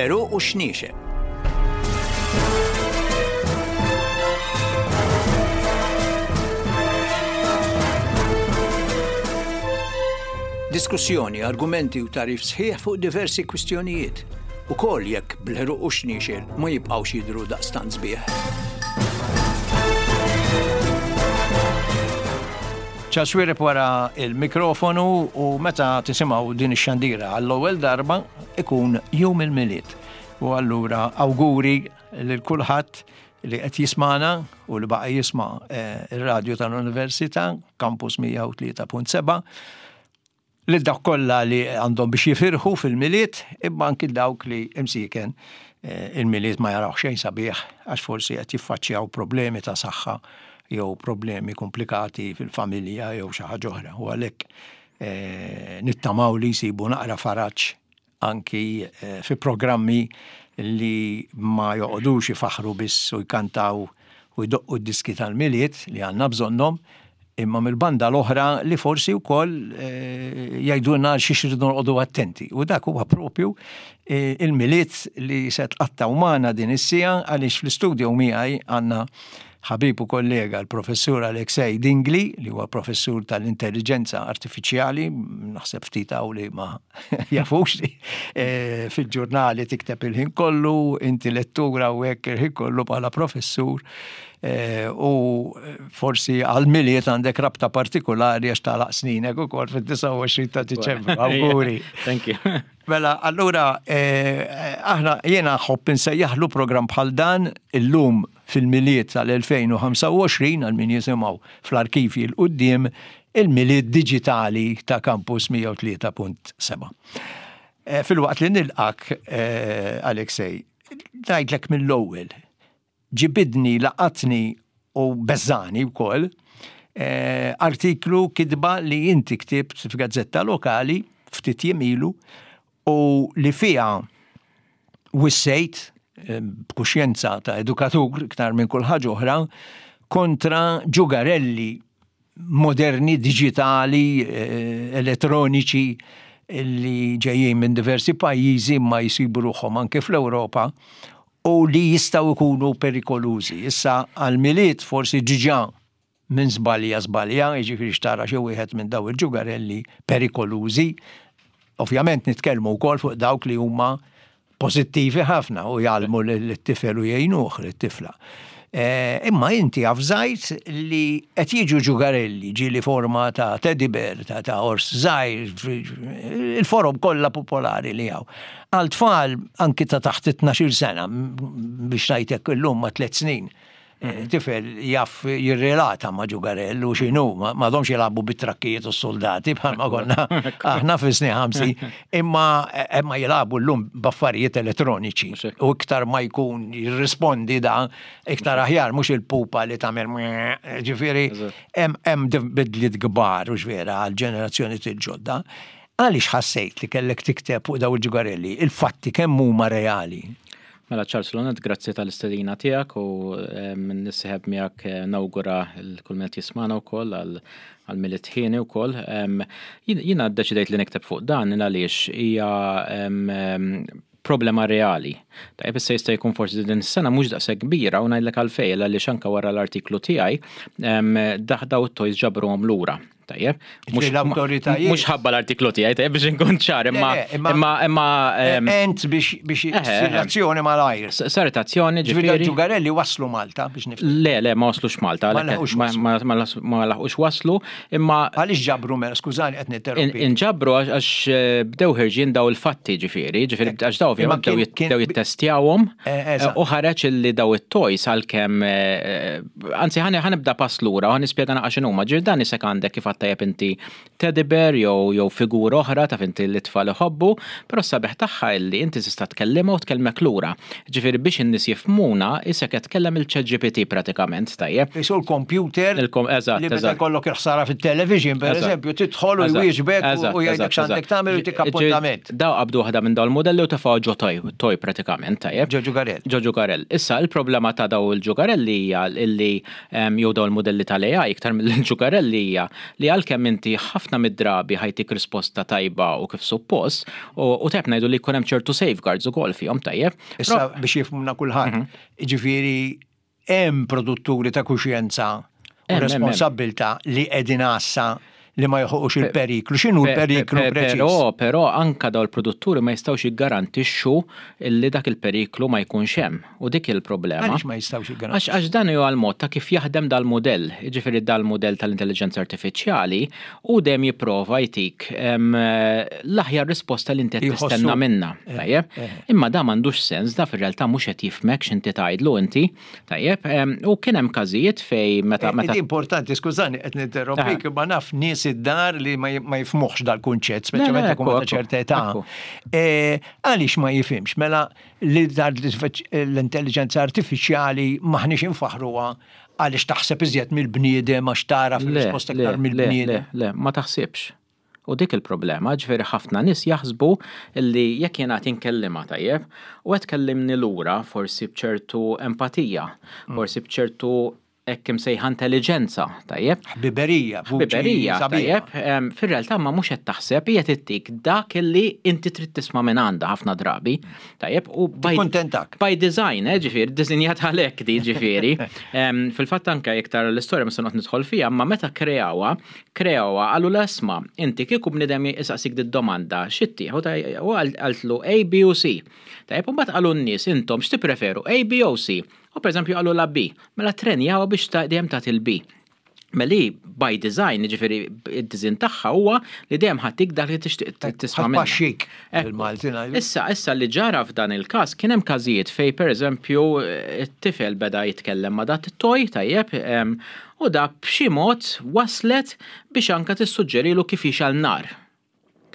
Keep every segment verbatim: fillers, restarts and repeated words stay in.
Bl-għeruq u x-xniexel. Diskussjoni, argumenti u tagħrif sħiħ fuq diversi kwistjonijiet. Ukoll jekk bl-għeruq u x-xniexel ma jibqgħux jidhru daqstant sbieħ. Charles Xuereb wara il-mikrofonu, u meta tisimgħu din ix-xandira għall-ewwel darba ikun jum il-Milied. U allura awguri lil kulħadd li qed jismana u li baqa' jisma' ir-radju tal-Università, Campus mija u tlieta punt seba', lil dawk kollha li għandhom biex jifirħu fil-Milied, imma anki dawk li imsiken il-Milied ma jaraw xejn sabiħ għax forsi qed jiffaċċjaw problemi ta' saħħa jew problemi komplikati fil-familja jew xi ħaġa oħra. U għalhekk nittamaw li jsibu naqra faraġ anki fi programmi li ma joqogħdux ifaħru biss u jkantaw u jdoqqu d-diski tal-Milied li għandna bżonnhom, imma mill-banda l-oħra li forsi wkoll jgħidulna xi xridu noqogħdu attenti. U dak huwa propju il-Milied li se tqattgħu magħna din is-siegħa, għaliex fl-istudio miegħi għandna ħabib u kollega l-professur Alexei Dingli, li huwa professur tal-intelligenza artifiċjali, naħseb ftit hawn li ma jafux li fil-ġurnali tikteb il-ħin kollu, inti lettura u hekk il-ħin kollu bħala professur, u forsi għal-Milied għandek rabta partikolari għax tagħlaq sninek ukoll fid-disgħa u għoxrin ta' Diċembru. Awguri. Thank you. Mela, allura, aħna jiena nħobb insejjaħlu programm bħal dan illum fil-Milied tal-elfejn u ħamsa u għoxrin, għal min jisimgħu fl-arkivji l quddiem, il-Milied Diġitali ta' Campus mija u tlieta punt seba'. Fil-waqt li nilqak, Alexei, ngħidlek mill-ewwel, ġibidni, laqatni u beżani wkoll artiklu kitba li inti ktibt f'gazzetta lokali ftit jiem ilu u li fiha wissejt b'kuxjenza ta' edukatur iktar minn kull ħaġa oħra kontra ġugarelli moderni, digitali, elettroniċi li ġejjin minn diversi pajjiżi ma jsibu ruħhom anke fl-Ewropa u li jistgħu jkunu perikolużi. Issa għal-Milied forsi ġiġa minn żbalja żbalja, jiġifieri xtara xi wieħed minn daw il-ġugarelli perikolużi. Ovvjament nitkellmu wkoll fuq dawk li huma pożittivi ħafna u jgħallmu lit-tifel u jgħinuh lit-tifla. Imma inti avżajt li qed jiġu ġugarelli, ġieli forma ta' teddy bear, ta', ta' ors żgħir, il-forom kollha popolari li hawn. Għal tfal anki ta' taħt it-tnax-il sena, biex ngħidlek illum ma' tliet snin, tifel jaf jirrelata ma' ġugarell u x'inhu, ma domx jilagħbu bit-trakkijiet u s-soldati bħalma konna aħna fis-snin ħamsin, imma, imma jilagħbu llum b'affarijiet elettroniċi. U iktar ma jkun jirrispondi da, iktar aħjar, mhux il-pupa li tagħmel meh, ġifieri, hemm bidliet kbar u x'vera għall-ġenerazzjoni til-ġodda. Għaliex ħassejt li kellek tikteb fuq daw il-ġugarelli, il-fatti kemm huma reali? Mela Charles Lonet, grazzi tal-istedina tiegħek u nissieħeb miegħek nawgura l kull min qed jismana wkoll għal Milied ħieni wkoll. Jiena ddeċidejt li nikteb fuq dan għaliex hija problema reali. Tajjeb, issa jista' jkun forsi din is-sena mhux daqshekk kbira u ngħidlek għalfejn, għaliex anke wara l-artiklu tiegħi daħdaw it-toys ġabruhom lura. Tajjeb, Ġifieri l-awtoritajiet. Mhux ħabba l-artiklu tiegħi, tajjeb, biex inkun ċar, imma Le, le, imma imma, imma, ehm, Ent biex, biex Eħe, eħe. issir azzjoni malajr. S-, saret azzjoni, Ġifieri ġifieri. Ġugarelli waslu Malta biex nifhem. Le, le, ma waslux Malta, Ma għalhekk laħqux ma, waslu. ma, ma las-, ma laħqux waslu, imma Għaliex ġabru mela, skużani qed ninterrompi. In-, inġabru għax, għax, eh, bdew ħirġin daw il-fatti, ġifieri, ġifieri, Ek. għax daw ovvjament Imma kien- bdew jit-, kien bdew jittestjawhom, Eh, eżatt. eh, u ħareġ illi daw it-toys għalkemm, eh, anzi, ħani, ħanibda pass lura u ħanispjega naqra x'inhuma. Ġifieri dan isek għandek kif għadt tajjeb inti teddy bear jew, jew figura oħra ta' inti li tfal iħobbu, però s-sabiħ tagħha illi inti tista' tkellimha u tkellmek lura. Ġifieri biex in-nies jifhmuna, isek qed tkellem il-ChatGPT pratikament, tajjeb. Isu l-computer Il-kom-, eżatt, li meta eżatt. jkollok il-ħsara fit-television, per Eżatt. eżempju, tidħol u Eżatt, jwieġbek u eżatt, jgħidlek eżatt, x'għandek eżatt. tagħmel u tik Ġi-, appuntament. Daw qabdu waħda minn dawn il-modelli u tefgħu ġo toy, toy pratikament, tajjeb. Ġo ġugarell. Ġo ġugarell. Issa il-problema ta' daw il-ġugarelli hija illi, em, jew daw il-modelli tal-A I iktar mill-ġugarelli hija li li għalkemm inti ħafna mid-drabi ħa jtik risposta tajba u kif suppost, u, u tajjeb ngħidu li jkun hemm ċertu safeguards ukoll fihom, tajjeb. Issa biex jifhmuna kulħadd, mhm. ġifieri hemm produtturi ta' kuxjenza u responsabbiltà li qegħdin għassa li ma joħolqux il-periklu. X'inhu l-periklu preċiż? Però, però anka daw il-produtturi ma jistgħux jiggarantixxu li dak il-periklu ma jkunx hemm. U dik il-problema. Għaliex ma jistgħux jiggarantixxu? Għax dan huwa l-mod ta' kif jaħdem dal-modell. Jiġifieri dal-modell tal-intelligenza artifiċjali u dejjem jipprova jtik l-aħjar risposta li inti tistenna minna. Eh, tajjeb? Eh. Imma da m'għandux sens, da fir-realtà mhux qed jifhmek x'inti tgħidlu inti. Tajjeb? U kien hemm każijiet fej meta meta. Importanti, skużani, qed ninterrompik, ma naf nies id-dar li ma jifhmux dal-kunċett, speċjalment jekk ta' ċerta età. E, għaliex ma jifhimx? Mela li l-intelligenza artifiċjali m'aħniex infaħruha għaliex taħseb iżjed mill-bniedem, għax tara fil-risposta iktar mill-bniedem. Le, ma taħsibx. U dik il-problema, ġifieri ħafna nies jaħsbu li jekk jiena inkellima tajjeb, u qed kellimni lura forsi bċertu empatija, mm. forsi bċertu hekk imsejħa intelligenza, tajjeb? Ħbiberija, Ħbiberija, tajjeb. Fir-realtà ma mhux qed taħseb, hija tittik dak li inti trid tisma' minn għandha ħafna drabi, tajjeb? U by, Kontentak. By design, eh, ġifieri, disinjat għalhekk di ġifieri. Fil-fatt anke iktar l-istorja ma se noqgħod nidħol fiha, ma meta kreawha, kreawha qalu l-isma', inti kieku bniedem isaqsik domanda, x'ittieh? U qaltlu A, B u C. Tajjeb, u mbagħad qalu n-nies, intom x'tippreferu, A, B u C? U per eżempju qalu la B, mela trenjaw biex dejjem tagħti il-B. Meli by design, ġifieri id-design tagħha huwa li dejjem ħa ttik dak li tixtieq tisma' minna. Issa, issa li ġara f'dan il-każ kien hemm każijiet fej pereżempju it-tifel beda jitkellem ma' dat it-toy, tajjeb, u da b'xi mod waslet biex anka tissuġġerilu kif jixgħel nar.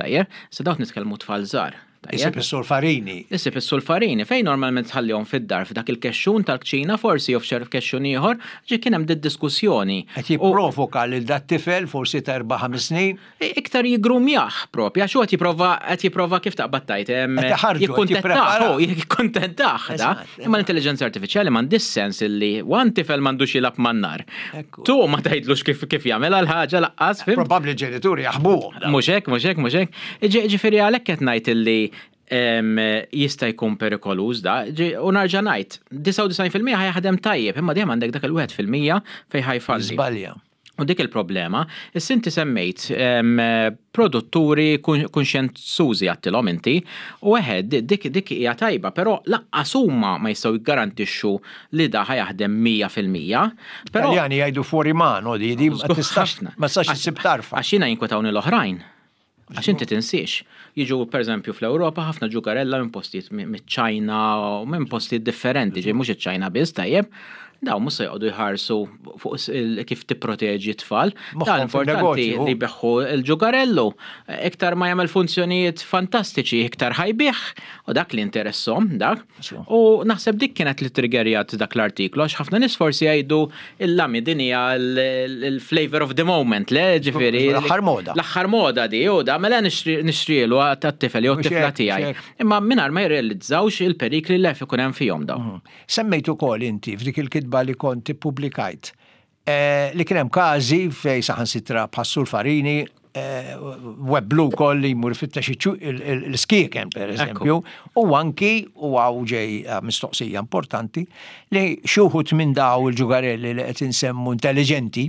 Tajjeb, sa dawk nitkellmu tfal żgħar. Isib is-sulfarini. Isib is-sulfarini, fejn normalment tħallihom fid-dar f'dak il-kexxun tal-kċina forsi jew f'xi kexxun ieħor, ġi kien hemm diskussjoni. Qed jipprovoka lil dat tifel forsi ta' erba' ħames snin. Iktar jiggrumjah propja, xu qed jipprova qed jipprova kif taqbad tajt. Jikkuntentah, jikkuntentah da. Imma l-intelligenza artifiċjali m'għandix sens illi one tifel m'għandux jilgħab man-nar. Tu ma tgħidlux kif kif jagħmel għal ħaġa laqqas. Probabbli ġenituri jaħbuhom. Mhux hekk, mhux hekk, mhux hekk. Ġifieri għalhekk qed ngħid illi jista' jkun perikoluż da, u nerġa' ngħid, disgħa u disgħin fil-mija ħa jaħdem tajjeb, imma dejjem għandek dak il-wieħed fil-mija fejn ħa jfalli. Żbalja. U dik il-problema, issa inti semmejt produtturi kunxjenzużi għattilhom inti, u eħed dik dik hija tajba, però laqqas huma ma jistgħu jiggarantixxu li da ħa jaħdem mija fil-mija. Però Taljani jgħidu fuori mano, di di ma tistax ma tistax issib tarfa. Għax jiena jinkwetawni l-oħrajn. Għax inti tinsiex. Jiġu per eżempju fl-Ewropa ħafna ġugarella minn postijiet miċ-Ċajna u minn postijiet differenti, ġej mhux iċ-Ċajna biss, tajjeb. Daw mhux se joqogħdu jħarsu fuq kif tipproteġi t-tfal. Dan importanti li jbigħu l-ġugarellu. Iktar ma jagħmel funzjonijiet fantastiċi, iktar ħa jbigħ u dak li interesshom dak. U naħseb dik kienet li triggerjat dak l-artiklu, għax ħafna nies forsi jgħidu il-lami din hija l-flavor of the moment, le ġifieri. L-aħħar moda. L-aħħar moda di, u da mela nixtrielu għat-tifel jew t-tifla tiegħi. Imma mingħajr ma jirrealizzawx il-perikli li ikun hemm fihom daw. Mhm. Semmejt ukoll inti f'dik il-kitba li kont ippubblikajt eh, li kien hemm każi fej saħansitra bħas-sulfarini eh, webblu koll li jmur fittex l-skieken per eżempju, u anki u hawn ġej eh, mistoqsija importanti li xi wħud minn daw il-ġugarelli li qed insemmu intelligenti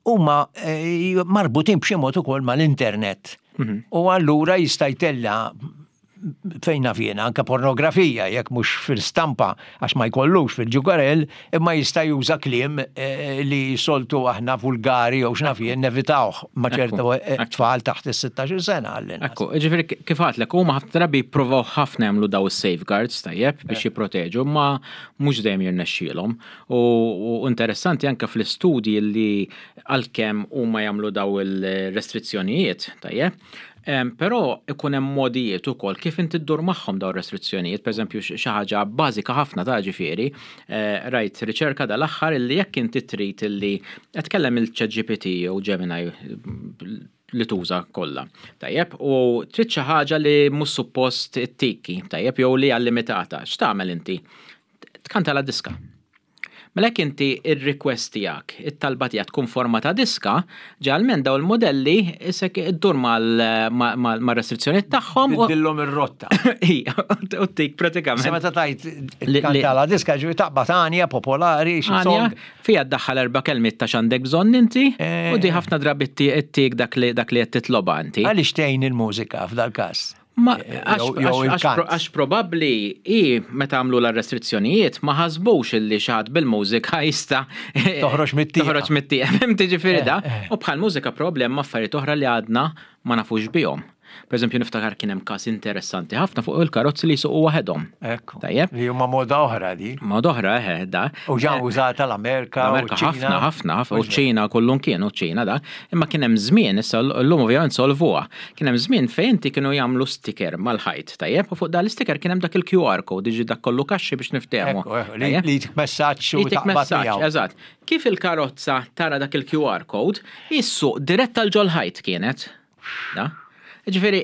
huma marbutin b'xi mod ukoll mal-internet. Mhm. U allura jista' jtella' fejn naf jiena, anke pornografija, jekk mhux fil-stampa għax ma jkollux fil-ġugarell, imma jista' juża kliem eh, li soltu aħna vulgari jew x'naf jien nevitawh ma' ċerta eh, tfal taħt is-sittax-il sena għall Ekku, ġifieri kif għatlek, huma ħafna drabi jippruvaw ħafna jagħmlu daw is-safeguards tajjeb biex eh. jipproteġu, ma mhux dejjem jirnexxielhom. U interessanti anke fl-istudji li għalkemm huma jagħmlu daw il-restrizzjonijiet tajjeb, però ikun hemm modijiet ukoll kif inti ddur magħhom dawn restrizzjonijiet, pereżempju xi ħaġa bażika ħafna ta' ġifieri, eh, rajt riċerka dal-aħħar illi jekk inti trid illi qed tkellem il-ChatGPT jew Gemini li tuża kollha. Tajjeb, u trid xi ħaġa li mhux suppost ittiki, tajjeb, jew li hija limitata. X'tagħmel inti? Tkanta la diska. Mela jekk inti ir-request tiegħek, it-talba tiegħek tkun forma ta' diska, ġalmen daw il-modelli isek iddur mal-restrizzjoni tagħhom u Biddillhom ir-rotta. Ija, u tik pratikament. Sa meta tajt Li- li- kantala diska ġifieri taqbad għanja popolari, xi Għanja, song. fija ddaħħal erba' kelmiet ta' x'għandek bżonn inti, Eh. u di ħafna drabi ttik dak li dak li qed titloba inti. Għaliex tgħin il-mużika f'dal każ? Ma Eh, għax jew- jew għax- għax il-kant. għax probabbli i meta għamlu la restrizzjonijiet ma ħasbux illi xi ħadd bil-mużika jista' Toħroġ mit-tieqa. Toħroġ mit-tieqa. Fhimt ġifieri da. Eh, eh. U bħal mużika problem affarijiet oħra li għadna ma nafux bihom. Per eżempju niftakar kien hemm każ interessanti ħafna fuq il-karozzi li jsuqu waħedhom. Ekku. Tajjeb. Li huma moda oħra di. Mod oħra eħe da. U ġa użata l-Amerika. u L-Amerika ċ-Ċina. ħafna, ħafna, ħafna, u ċina kullum kien, u ċina da. Imma kien hemm żmien, issa llum ovvjament solvuha. Kien hemm żmien fejn inti kienu jagħmlu sticker mal-ħajt, tajjeb, u fuq dan l-sticker kien hemm dak il-Q R code, diġi dak kollu kaxxi biex niftehmu. Ekku, ekku, li Tajjeb? li jtik messaġġ u Jitik taqbad messaġġ, miegħu. eżatt. Kif il-karozza tara dak il-Q R code, jissuq dirett tal ġol-ħajt kienet. Da? Ġifieri,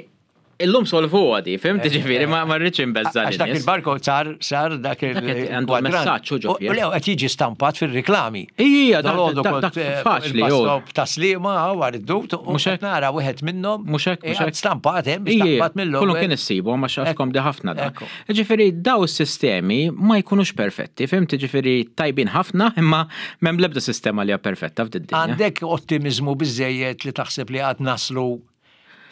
illum solvuha di, fhimt ġifieri, ma ma rridx inbeżża Għax dak lin-nies. il-barcode sar sar dak Dak qed għandu il-kwadrant. messaġġ u ġo U fih. u lew qed jiġi stampat fir-riklami. Ija, dak- Dalgħodu dak- kont, dak eh, faċli, il-bus jo. stop ta' Sliema għar id-dut u Mhux hekk? qed nara wieħed minnhom. Mhux hekk, mhux qiegħed hekk. stampat hemm biex Ija, taqbad mill-ewwel. Kullum kien issibu, ma xaxkom di ħafna da. Ekku. Ġifieri, daw is-sistemi ma jkunux perfetti, fhimt ġifieri tajbin ħafna, imma m'hemm l-ebda sistema li hija perfetta f'did-dinja. Għandek ottimizmu biżejjed li taħseb li għad naslu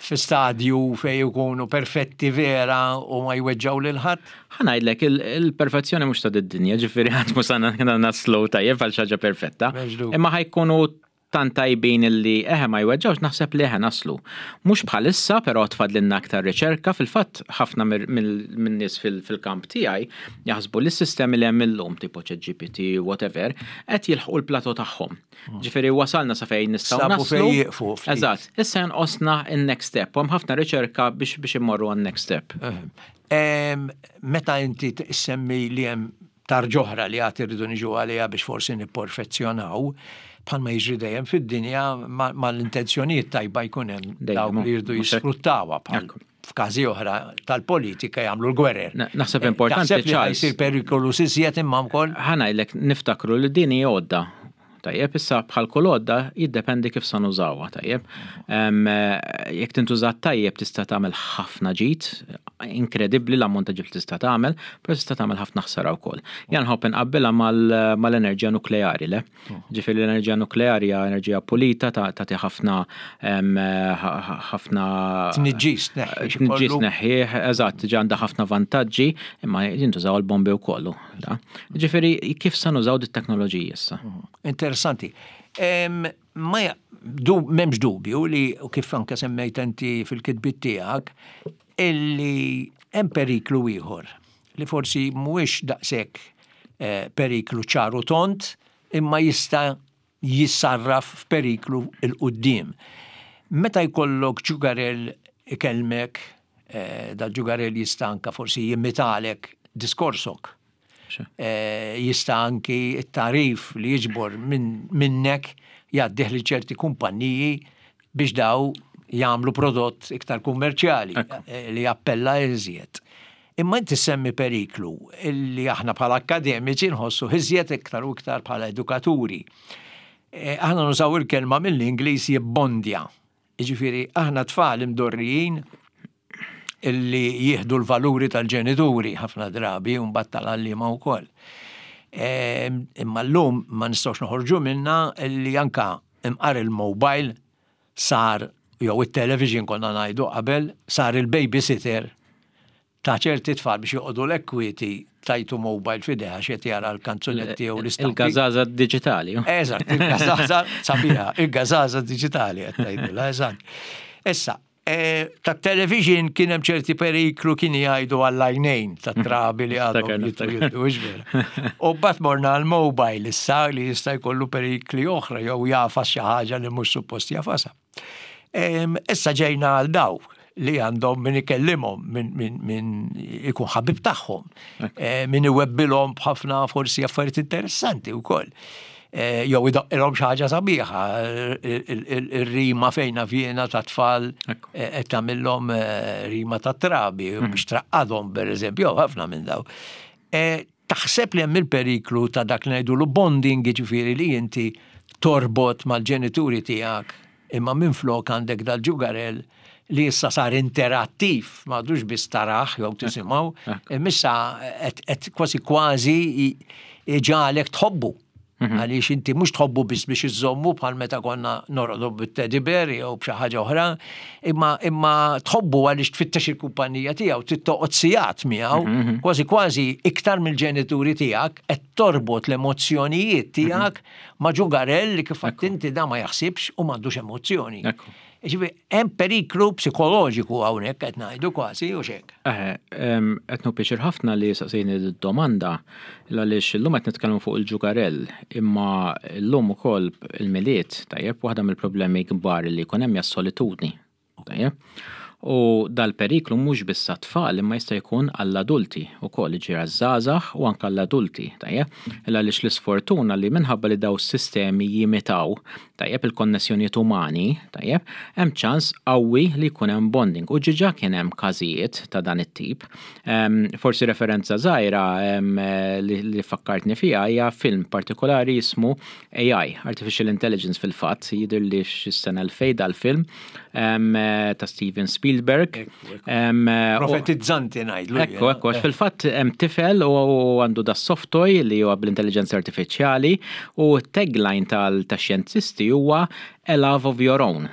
fi stadju fej ikunu perfetti vera u ma jweġġaw lil ħadd? Ħa ngħidlek, il-perfezzjoni mhux ta' did-dinja, ġifieri għad mhux sana naslu tajjeb għal xi ħaġa perfetta. M'hemmx dubju. Imma ħa jkunu tant tajbin illi eħe ma jweġġawx naħseb li eħe naslu. Mhux bħalissa, però tfadlilna aktar riċerka, fil-fatt ħafna minn nies fil-kamp tiegħi jaħsbu li s-sistemi li hemm illum tipo Chat G P T, whatever, qed jilħqu l-plateau tagħhom. Ġifieri wasalna sa fejn nistgħu Sabu naslu. fejn jieqfu ftit. Eżatt, issa jonqosna in-next step, u hemm ħafna riċerka biex biex immorru għan-next step. Em, Meta inti semmi li hemm tarġoħra li għad irridu niġu għaliha biex forsi nipperfezzjonaw, bħalma jiġri dejjem fid-dinja ma l-intenzjonijiet tajba jkun hemm Dejjem, dawk li jridu mhux hekk? jisfruttawha bħal Ekku. f'każi oħra tal-politika jagħmlu l-gwerer. Na- Naħseb importanti, Taħseb li Charles. jsir perikolu iżjed imma wkoll Ħa ngħidlek niftakru li din hija għodda. Tajjeb, issa bħal kull għodda jiddependi kif sa nużawha, tajjeb. Em, eh, Jekk tintuża tajjeb tista' tagħmel ħafna ġid, inkredibbli l-ammont ta' ġid tista' tagħmel, però tista' tagħmel ħafna ħsara wkoll. Jien nħobb inqabbilha mal- mal-enerġija nukleari, le? Ġifieri l-enerġija nukleari hija enerġija pulita ta' tagħti ħafna em, ħ- ħ- ħafna tniġġis tneħħi xi Tniġġis kollu. neħħieħ, eżatt, ġa għandha ħafna vantaġġi, imma jintużaw il-bombi u kollu. Da. Ġifieri, kif sa nużaw dit teknoloġija issa? Interessanti. Em, Ma ja- du, m'hemmx dubju li, u kif anke semmejt inti fil-kitbit tiegħek, illi hemm periklu ieħor li forsi mhuwiex daqshekk eh, periklu ċaru tont, imma jista' jissarraf f'periklu 'l quddiem. Meta jkollok ġugarel ikellmek, eh, da ġugarel jista' anka forsi jimitalek diskorsok. Xe. Eh, jista' anki t-tarif li jiġbor min, minnek jgħaddih li ċerti kumpanniji biex daw jagħmlu prodott iktar kummerċjali Ekku. eh, li jappella iżjed. Imma inti semmi periklu illi aħna bħala akademiċi nħossu iżjed iktar u iktar bħala edukaturi. Eh, Aħna nużaw il-kelma mill-Ingliż jibbondja. Jiġifieri aħna tfal imdorrijin illi jieħdu l-valuri tal-ġenituri ħafna drabi u mbagħad tal-għalliema wkoll. Em, Imma llum ma nistgħux noħorġu minna illi anka imqar il-mobile sar jew it-television konna ngħidu qabel sar il-babysitter ta' ċerti tfal biex joqogħdu l-ekwiti tajtu mobile f'idejh għax qed jara l-kanzunetti jew l-istampi. Il-gazaza digitali. Eżatt, il-gazaza sabiħa, il-gazaza digitali qed tgħidilha, eżatt. Issa, eh, ta' television kien hemm ċerti periklu kien jgħidu għall-għajnejn ta' trabi li għadhom Niftakar, jittu niftakar. jittu, hux vera. U mbagħad morna għal-mobile issa li jista' jkollu perikli oħra jew jagħfas xi ħaġa li mhux suppost jagħfasha. Em, Issa ġejna għal daw li għandhom min ikellimhom, min, min, min ikun ħabib tagħhom, eh, min iwebbilhom b'ħafna forsi affarijiet interessanti wkoll. Eh, Jew idoqqilhom xi ħaġa sabiħa, il- il- ir-rima fejna fjena ta' tfal Ekku. eh, qed tagħmilhom eh, rima ta' trabi biex traqqadhom pereżempju, jew ħafna minn daw. Eh, Taħseb li hemm il-periklu ta' dak li ngħidulu bonding, jiġifieri li inti torbot mal-ġenituri tiegħek, imma minflok għandek dal-ġugarell li issa sar interattiv, m'għadux biss tarah jew tisimgħu, imma issa qed kważi kważi iġagħlek tħobbu. Mhm. Għaliex inti mhux tħobbu biss biex iżommu bħal meta konna norqdu bit-teddy bear jew b'xi ħaġa oħra, imma imma tħobbu għaliex tfittex il-kumpanija tiegħu, tittoqgħod sigħat miegħu, mhm, mhm. kważi kważi iktar mill-ġenituri tiegħek qed torbot l-emozzjonijiet tiegħek ma' ġugarell li kif inti da ma jaħsibx u m'għandux emozzjoni. Ġifieri, hemm periklu psikoloġiku hawnhekk qed ngħidu kważi u xek. Eħe, qed nieħu pjaċir ħafna li saqsejni d-domanda għaliex illum qed nitkellmu fuq il-ġugarell, imma llum ukoll il-Milied, tajjeb, waħda mill-problemi kbar li jkun hemm hija solitudni. Tajjeb. U dal-periklu mhux biss tfal imma jista' jkun għall-adulti ukoll, ġifieri għaż-żgħażagħ u anke għall-adulti, tajjeb. Għaliex l-isfortuna li minħabba li daw sistemi jimitaw, tajjeb, il-konnessjonijiet umani, tajjeb, hemm ċans qawwi li jkun hemm bonding. U diġà kien hemm każijiet ta' dan it-tip. Forsi referenza żgħira li, li fakkartni fiha hija film partikolari jismu A I, Artificial Intelligence fil-fatt, jidher li xis-sena elfejn dal-film ta' Steven Spielberg. Profetizzanti ngħidlu. Ekku, ekku, għax fil-fatt hemm tifel u għandu da soft toy li huwa bl-intelligenza artifiċjali u tagline tal-xjentisti huwa "A love of your own".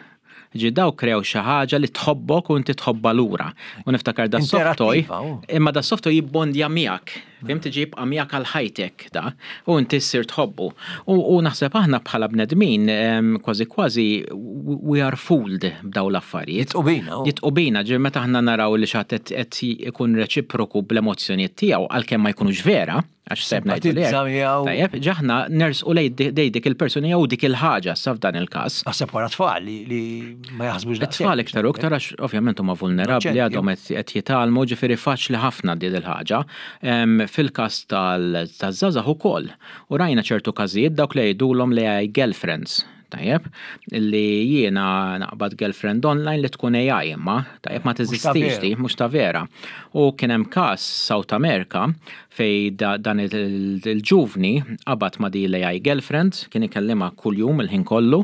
Ġi daw krew xi ħaġa li tħobbok u inti tħobba lura. U niftakar da soft toy, imma da soft toy jibbondja miegħek. Fhimt, ġi jibqa' miegħek għal ħajtek da, u inti ssir tħobbu. U naħseb aħna bħala bnedmin kważi kważi we are fooled b'daw l-affarijiet. Jitqubina. Jitqubina, ġi meta aħna naraw li xi ħadd qed ikun reċiproku bl-emozzjonijiet tiegħu għalkemm ma jkunux vera, għax seb ngħidu li. Tajjeb, ġaħna nersqu lej dik il-persuna jew dik il-ħaġa sa f'dan il-każ. Naħseb wara tfal li ma jaħsbux daqshekk. Tfal iktar u iktar għax ovvjament huma vulnerabbli, għadhom qed jitgħallmu, ġifieri faċli ħafna din il-ħaġa. Fil-każ tal-żgħażagħ ukoll. U rajna ċertu każijiet dawk li jgħidulhom li girlfriends. Tajjeb, li jiena naqbad girlfriend online li tkun A I imma, tajjeb, ma teżistix di, mhux ta' vera. U kien hemm każ South America fej dan il-ġuvni qabad ma' di l-A I girlfriend, kien ikellima kuljum il-ħin kollu.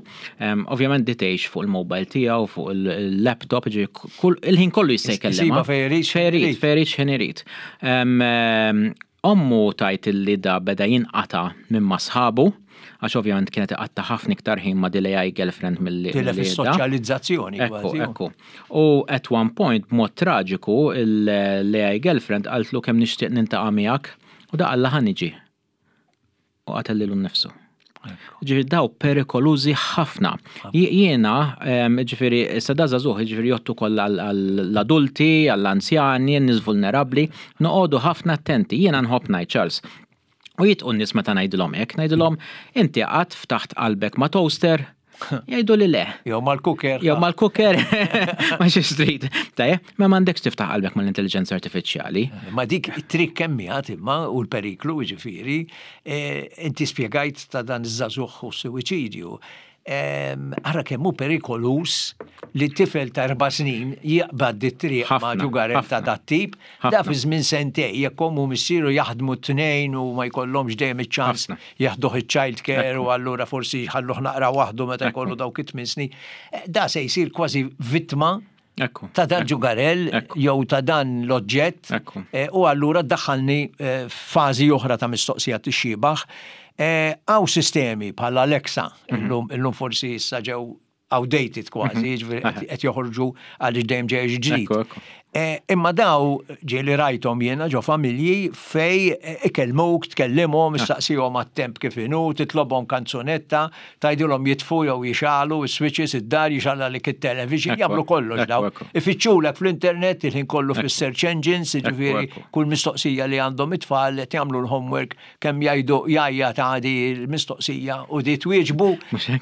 Ovvjament di tgħix fuq il-mobile tiegħu, fuq il-laptop, il-ħin kollu jista' jkellima. Fejn irid. Fejn irid, fejn irid, x'ħin irid. Ommu tgħid li da beda jinqata' minn ma' sħabu, għax ovvjament kienet iqatta' ħafna iktar ħin ma' dil-A I girlfriend mill Tilef is-soċjalizzazzjoni. Ekku, ekku. U at one point, b'mod traġiku, l-A I girlfriend qaltlu, "Kemm nixtieq niltaqa' miegħek", u da qalla, "Ħa niġi." U qatel lilu nnifsu. Ġifieri daw perikolużi ħafna. Jiena, ġifieri, sa da żagħżugħ, ġifieri jgħoddu kollha għall-adulti, għall-anzjani, n-nies vulnerabbli, noqogħdu ħafna attenti. Jiena nħobb ngħid, Charles, u jidħqu n-nies meta ngħidilhom hekk, ngħidilhom, "Inti qatt ftaħt qalbek ma' toaster?" Jgħidu li le. Jew mal-cooker. Jew mal-cooker, ma xi street. Tajjeb, ma m'għandekx tiftaħ qalbek mal-intelligenza artifiċjali. Ma dik it-trick kemm imma u l-periklu ġifieri, eh, inti spjegajt ta' dan iż-żagħżugħ u s-suwiċidju. Ara kemm hu perikoluż li tifel ta' erba' snin jaqbad dit-triq ma' ġugarell ta' dat-tip, da fi żmien sentej, jekk ommu missieru jaħdmu t-tnejn u ma jkollhomx dejjem iċ-ċans jeħduh iċ-child care u allura forsi jħalluh naqra waħdu meta jkollu dawk it-tmien snin, eh, da se jsir kważi vittma ta' dan ġugarell jew ta' dan l-oġġett eh, u allura daħħalni eh, fażi oħra ta' mistoqsija tixxibaħ. Hawn sistemi bħal Alexa, mhm. illum illum forsi issa ġew outdated kważi, mhm. ġifieri qed joħorġu għaliex dejjem ġej ġdid. Eh, imma daw ġieli rajthom jiena ġo familji fej eh, ikellmuk, tkellimhom, ah. issaqsihom għat-temp kif inhu, titlobhom kanzunetta, tgħidilhom jitfu jew jixegħlu is-switches id-dar, jixgħellulek it-television, jagħmlu kollox daw. Ifittxulek fl-internet il-ħin kollu fis-search engines, ġifieri kull mistoqsija li għandhom it-tfal qed jagħmlu l-homework, kemm jgħidu jajja ta' di l-mistoqsija u di twieġbu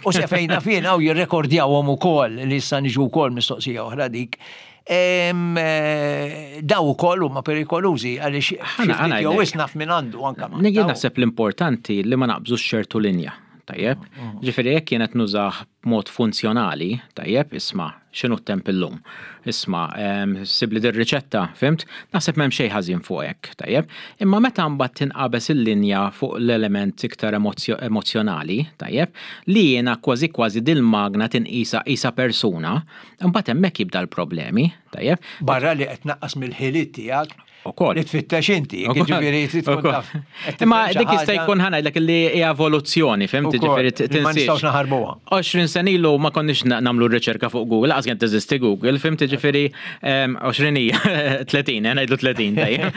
u sefejna fina u jirrekordjawhom ukoll li issa niġu wkoll mistoqsija oħra dik. Eh, daw ukoll huma perikolużi għaliex jew naf minn għandu anke. Jien naħseb l-importanti li ma naqbżux ċertu linja. Tajjeb? Ġifieri jekk kienet nużah b'mod funzjonali, tajjeb, isma', x'inhu t-temp illum? Isma', em, sibli dir-riċetta, fhimt? Naħseb m'hemm xejn ħażin fuq hekk, tajjeb? Imma meta mbagħad tinqabeż il-linja fuq l-element iktar emozjo- emozjonali, tajjeb, li jiena kważi kważi dil-magna tinqisa isa persuna, imbagħad hemmhekk jibda l-problemi, tajjeb? Barra li qed naqqas mill-ħiliet tiegħek Ukoll. li tfittex inti, ġifieri trid tkun Ukoll. taf. Qed Imma tifhem xi dik jista' ħaġa- jkun ħa ngħidlek li hija evoluzzjoni, fhimt? Ukoll, Ġifieri li ma nistgħux tinsiex. naħarbuha. għoxrin sena ilu ma konniex na- nagħmlu r-riċerka fuq Google, lanqas kien teżisti Google, fhimt? Ġifieri em, għoxrin hija, tletin, eh, ngħidlu tletin, tajjeb.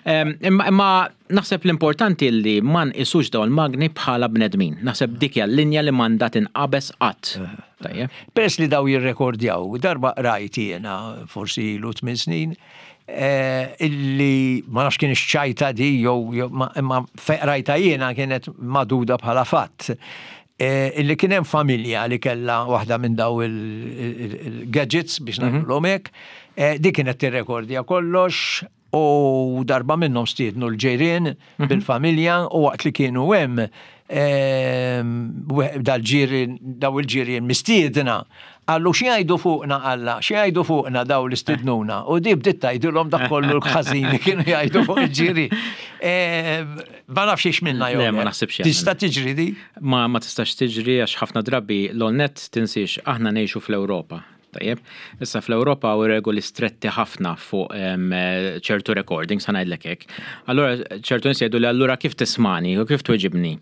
Em, Imma imma naħseb l-importanti li ma nqisux dawn il-magni bħala bnedmin. Naħseb dik hija l-linja li m'għandha tinqabeż qatt. Tajjeb. Peress li daw jirrekordjaw, darba rajt jiena, forsi ilu tmien snin, eh, illi ma nafx kien ċajta di, jew jew ma imma fe- rajta jiena kienet maduda bħala fatt. Eh, illi kien hemm familja li kella waħda minn daw il-gadgets biex ngħidulhom hekk, eh, di kienet tirrekordja kollox u darba minnhom stiednu l-ġirien bil-familja u waqt li kienu hemm ehm, dal-ġirien, daw il-ġirien mistiedna, qallu xi jgħidu fuqna alla, xi jgħidu fuqna daw li stidnuna. U di bdiet tgħidilhom dak kollu l-ħażin li kienu jgħidu fuq il-ġirien. Ehm, Ma nafx ix minna jew. Le, ma le. naħsibx Tista' tiġri di? Ma ma tistax tiġri għax ħafna drabi l-net tinsiex aħna ngħixu fl-Ewropa. Tajjeb, issa fl-Ewropa u regoli stretti ħafna fuq em, ċertu recordings, ħa ngħidlek hekk. Allura ċertu nies jgħidu li allura kif tismani u kif tweġibni.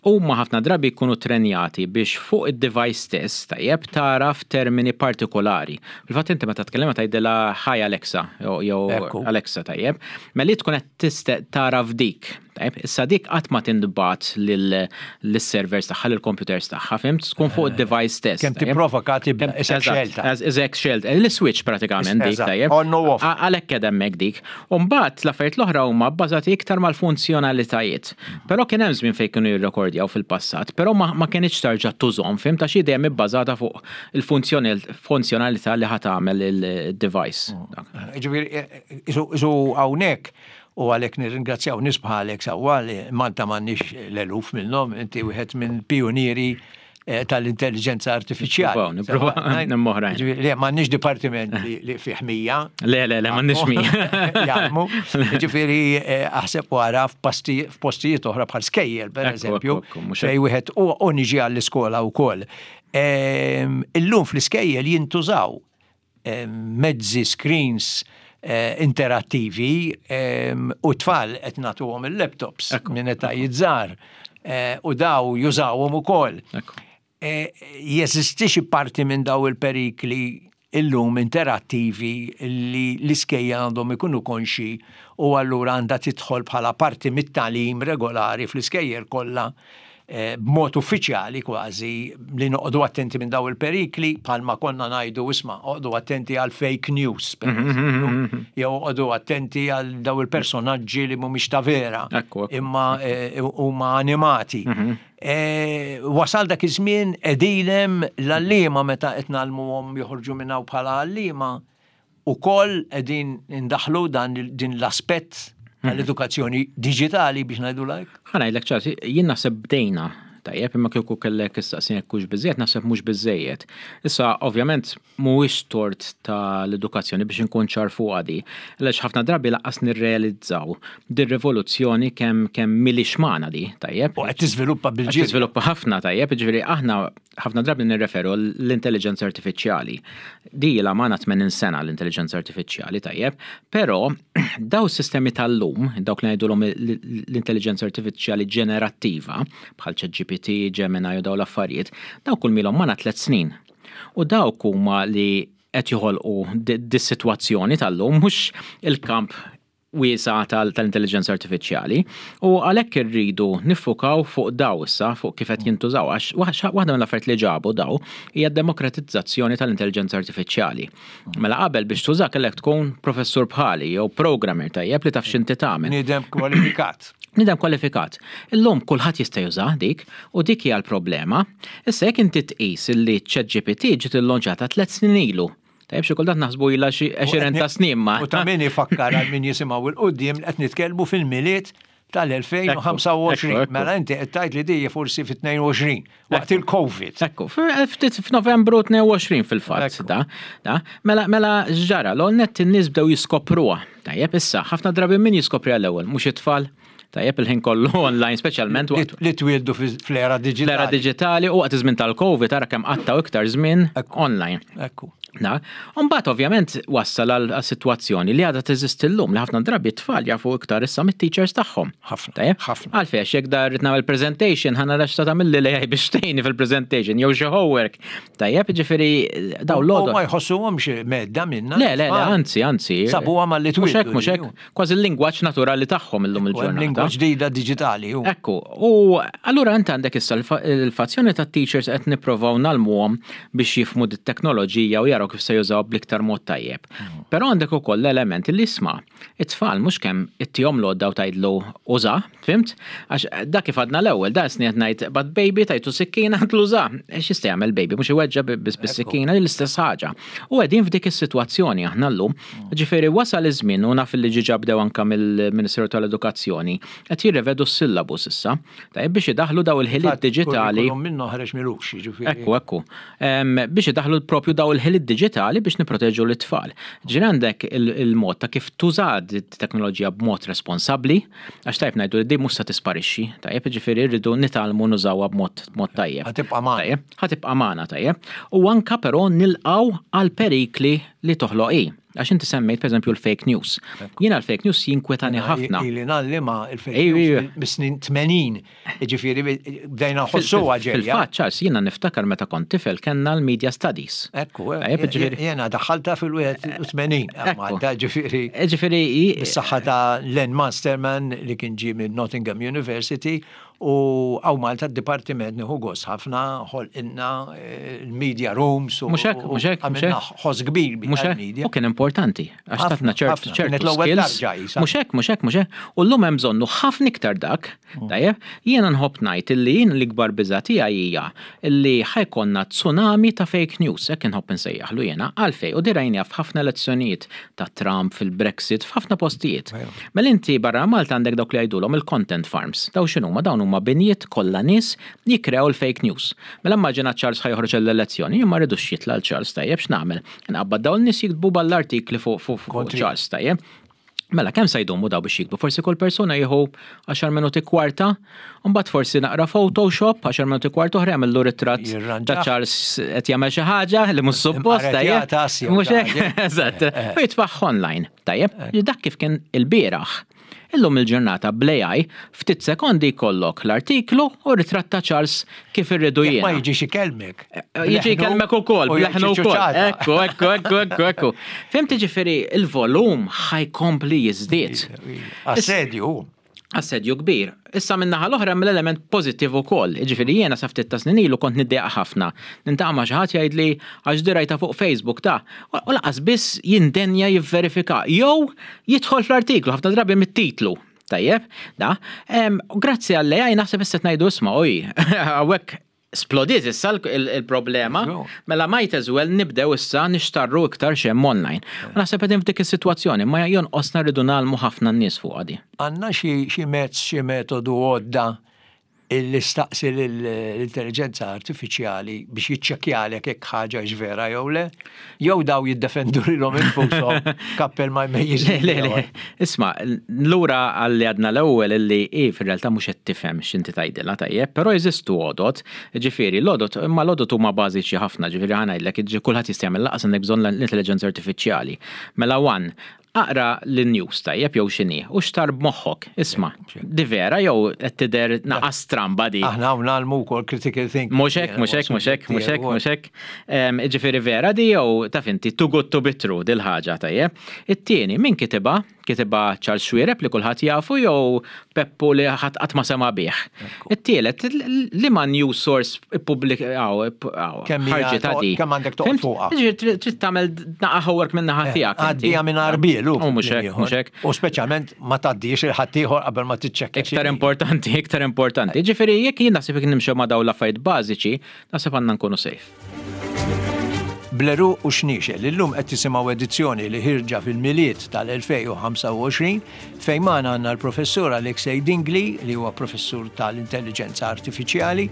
Huma ħafna drabi jkunu trenjati biex fuq id-device stess, tajjeb, taraf termini partikolari. Fil-fatt inti meta tkellem tgħidilha "Hi Alexa" jew jew Ekku. "Alexa", tajjeb, mela li tkun qed tiste taraf dik. Tajjeb, issa dik qatt ma tintbagħat lill-servers tagħha, lill-computers tagħha, fhimt? Tkun fuq id-device stess. Kemm tajjeb? tipprovoka tibda isek Eżatt, xelta. eż- Eżek xelta. L-switch pratikament dik, Eżatt, tajjeb. on u off. A- Għalhekk qed hemmhekk dik. U mbagħad l-affarijiet l-oħra huma bbażati iktar mal-funzjonalitajiet. Però kien hemm żmien fejn kienu jirrekordjaw fil-passat, però ma, ma kienx tarġa' tużhom, fhimt, għax hi dejjem ibbażata fuq il-funzjonalità li ħa tagħmel il-device. Ġifieri, isu hawnhekk u għalhekk nirringrazzjaw nies bħalek sewwa li Malta m'għandniex l-eluf minnhom, inti wieħed minn pionieri eh, tal-intelligenza artifiċjali. Nipprovaw, nipprovaw, nimmoħrajn. Ġifieri, le, m'għandniex dipartiment li li fih mija. Le, le, le, m'għandniex mija. Jaħdmu. Ġifieri, eh, aħseb wara f'posti- f'postijiet oħra bħal skejjel, per Ekku, eżempju, ekku, ekku, mhux fej wieħed u u niġi għall-iskola wkoll. Ehm, Illum fl-iskejjel jintużaw ehm, mezzi screens eh, interattivi ehm, u tfal qed nagħtuhom il-laptops Ekku, minn etajiet żgħar eh, u daw jużawhom ukoll. Ekku. Eh, Jeżisti xi parti minn daw il-perikli illum interattivi li l-iskejjel għandhom ikunu konxi u allura għandha tidħol bħala parti mit-tagħlim regolari fl-iskejjel kollha eh, b'mod uffiċjali kważi li noqogħdu attenti minn daw il-perikli bħalma konna ngħidu, isma', oqogħdu attenti għal fake news, per eżempju, jew oqogħdu attenti għal daw il-personaġġi li mhumiex ta' vera Ekku, ekku. imma eh, huma animati. Eh, Wasal dak iż-żmien edilem l-għalliema meta qed ngħallmuhom joħorġu minn hawn bħala għalliema ukoll qegħdin indaħlu dan din l-aspett tal-edukazzjoni diġitali biex ngħidu like. Ħa ngħidlek ċar, jien naħseb bdejna, tajjeb, imma kieku kellek issaqsini jekk hux biżejjed, naħseb mhux biżejjed. Issa, ovvjament, mhuwiex tort tal-edukazzjoni biex inkun ċar fuq di. Għaliex ħafna drabi lanqas nirrealizzaw dir-rivoluzzjoni kemm kemm milix magħna di, tajjeb. U qed tiżviluppa Qed bil-ġiri. tiżviluppa ħafna, tajjeb, ġifieri aħna ħafna drabi nirreferu l-intelligenza artifiċjali. Di ilha magħna tmenin sena l-intelligenza artifiċjali, tajjeb, però daw sistemi tal-lum, dawk li ngħidulhom l-intelligenza artifiċjali ġenerattiva, bħal ChatGPT, Gemini u daw l-affarijiet, daw kull milhom magħna tliet snin. U dawk huma li qed joħolqu dis-sitwazzjoni tal-lum, mhux il-kamp wiesa tal-intelligenza artifiċjali, u għalhekk irridu niffukaw fuq daw issa, fuq kif qed jintużaw, għax waħda mill-affarijiet li ġabu daw hija demokratizzazzjoni tal-intelligenza artifiċjali. Mela qabel biex tuża kellek tkun professur bħali jew programmer, tajjeb, li taf x'inti tagħmel. Bniedem kwalifikat. Bniedem kwalifikat. Illum kulħadd jista' juża dik u dik hija l-problema. Issa jekk inti tqis illi ChatGPT ġiet illonċata tliet snin ilu. Tajjeb, xi kultant naħsbu ilha xi għexieren ta' snin ma. U ta' min ifakkar għal min jisimgħu 'l quddiem qed nitkellmu fil-Milied tal-elfejn u ħamsa u għoxrin. Mela inti qed tgħid li di forsi fit-tnejn u għoxrin, waqt il-Covid. Ekku, ftit f'Novembru tnejn u għoxrin fil-fatt, da, da. Mela, mela ġara, l-net in-nies bdew jiskopruha. Tajjeb, issa, ħafna drabi min jiskopri għall-ewwel, mhux it-tfal. Tajjeb, il-ħin kollu online, speċjalment waqt li twieldu fl-era digitali. L-era digitali u waqt iż-żmien tal-Covid tara kemm qattaw iktar żmien online. Ekku. Na, Mbagħad ovvjament wassal għal sitwazzjoni li għadha teżisti llum li ħafna drabi t-tfal jafu iktar issa mit-teachers tagħhom. Ħafna. Ħafna. Għalfejn jekk dar nagħmel presentation, ħa nara x'ta tagħmel l-A I biex tgħinni fil-presentation jew xi homework. Tajjeb, ġifieri daw l Ma jħossuhomx medda minna. Le, le, le, anzi, anzi. Sabuha malli Mhux hekk, mhux hekk. Kważi l-lingwaġġ naturali tagħhom illum il-ġurnata. Lingwa ġdida diġitali. Ekku, u allura int għandek issa l-fazzjoni ta' teachers qed nipprovaw ngħallmuhom biex jifhmu dit-teknoloġija u jaraw kif se jużaw bl-iktar mod tajjeb. Però għandek ukoll l-element li isma' it-tfal mhux kemm ittihom l-għodda u tgħidlu uża, fhimt? Għax dak kif għadna l-ewwel, da sni qed ngħid bad baby tajtu sikkina għedtlu uża. X'jista' jagħmel baby, mhux iweġġa bis-sikkina, l-istess ħaġa. U qegħdin f'dik is-sitwazzjoni aħna llum. Ġifieri wasal iż-żmien u naf li ġiġa bdew anke mill-Ministeru tal-Edukazzjoni qed jirrevedu s-syllabus issa. Tajjeb, biex idaħlu daw il-ħiliet diġitali. Minnu ħareġ milux, ġifieri. Ekku, ekku. Biex idaħlu propju daw il-ħiliet diġitali biex niproteġu l-tfal. Ġifieri għandek il-mod ta' kif tuża teknoloġija b'mod responsabbli, għax tajb ngħidu li di mhux se tisparixxi, tajjeb, ġifieri rridu nitgħallmu nużawha b'mod mod tajjeb. Ħa tibqa' magħna. Ħa tibqa' magħna, tajjeb. U anka però nilqgħu għal perikli li toħloq hi. Għax inti semmejt per l-fake news. Jiena l-fake news jinkwetani ħafna. Ili ngħallima il-fake news mis-snin tmenin. Ġifieri bdejna nħossuha ġejja. Fil-fatt, Charles, jiena niftakar meta kont tifel kellna l-media studies. Ekku, jiena daħħalta fil-ħamsa u tmenin. Malta, ġifieri. Ġifieri. Bis-saħħa ta' Len Masterman li kien ġie minn Nottingham University u hawn Malta d-dipartiment nieħu gost ħafna ħolqinna il-media rooms u Mhux hekk, mhux hekk, għamilna ħoss kbir bil-media. U kien importanti, għax tatna ċert ċertu skills. Mhux hekk, mhux hekk, mhux hekk. U llum hemm bżonnu ħafna iktar dak, tajjeb, jiena nħobb ngħid illi jien l-ikbar biża' tiegħi hija illi ħa jkollna tsunami ta' fake news, hekk inħobb insejjaħlu jiena, għalfej, u di rajna f'ħafna elezzjonijiet ta' Trump, fil-Brexit, f'ħafna postijiet. Mela inti barra Malta għandek dawk li jgħidulhom il-content farms. Daw x'inhuma? Dawn huma binjiet kollha nies jikkrew il-fake news. Mela immaġina Charles ħa joħroġ l-elezzjoni, jien ma rridux jitla' Charles, tajjeb, x'nagħmel? Nqabbad dawn nies jiktbu ball-artikli fuq fuq Charles, tajjeb. Mela, kemm sa jdumu daw biex jiktbu? Forsi kull persuna jieħu għaxar minuti kwarta, mbagħad forsi naqra Photoshop, għaxar minuti kwarta oħra jagħmlu ritratt ta' Charles qed jagħmel xi ħaġa li mhux suppost, tajjeb. Mhux hekk, eżatt. U jitfaħ online, tajjeb. Dak kif kien il-bieraħ. Illum il-ġurnata bl-A I ftit sekondi jkollok l-artiklu u ritratt ta' Charles kif irridu jien. Ma jiġix ikellmek. Jiġi jkellmek ukoll, bleħnu wkoll. Ekku, ekku, ekku, ekku, ekku. Fhimt, ġifieri il-volum ħa jkompli jiżdied. Assedju. Assedju kbir. Issa min-naħa l-oħra mill-element pożittiv ukoll. Ġifieri jiena sa ftit ta' snin ilu kont niddejjaq ħafna. Niltaqa' ma' xi ħadd jgħidli għax di rajta fuq Facebook ta' u lanqas biss jindenja jivverifika jew jidħol fl-artiklu ħafna drabi mit-titlu. Tajjeb, da. Grazzi għall-A I naħseb issa ngħidu isma' oj, hawnhekk splodiet issa il-problema, mela might as well nibdew issa nixtarru iktar x'hemm online. U naħseb qegħdin f'dik is-sitwazzjoni, ma jonqosna rridu ngħallmu ħafna n-nies fuq għadi. Għandna xi mezz, xi metodu, għodda illi staqsi l-intelligenza artifiċjali biex jiċċekkjalek jekk ħaġa vera jew le, jew daw jiddefendu lilhom infushom kappel ma jmejjiż? Le, le, isma', lura għalli għadna l-ewwel illi i fir-realtà mhux qed tifhem x'inti tgħidilha, tajjeb, però jeżistu għodot, ġifieri l-għodot, imma l-għodot huma bażiċi ħafna, ġifieri ħa ngħidlek, kulħadd jista' jagħmel, lanqas għandek bżonn l-intelligenza artifiċjali. Mela one, aqra l-news, tajjeb, jew x'inhi, u xtar b'moħħok, isma', di vera jew qed tidher naqa stramba di? Aħna hawn ngħallmu wkoll critical thinking. Mhux hekk, mhux hekk, mhux hekk, mhux hekk, mhux hekk. Ġifieri vera di jew taf inti too good to be true dil-ħaġa, tajjeb? It-tieni, min kitibha? Kitibha Charles Xuereb li kulħadd jafu jew Peppu li ħadd qatt ma sema bih? It-tielet, li ma news source ippubblikaw ħarġet di? Kemm għandek toqgħod fuqha? Trid tagħmel naqa homework minn naħa tiegħek. Għaddija minn arbielu. Mhux hekk, mhux hekk. U speċjalment ma tgħaddix lil ħaddieħor qabel ma tiċċekkja. Iktar importanti, iktar importanti. Ġifieri jekk jien naħseb jekk nimxew ma' dawn l-affarijiet bażiċi, naħseb għandna nkunu safe. Bl-għeruq u Xniexel. Illum qed tisimgħu edizzjoni li ħierġa fil-Milied tal-elfejn u ħamsa u għoxrin fejn magħna għandna l-professur Alexei Dingli li huwa professur tal-intelligenza artifiċjali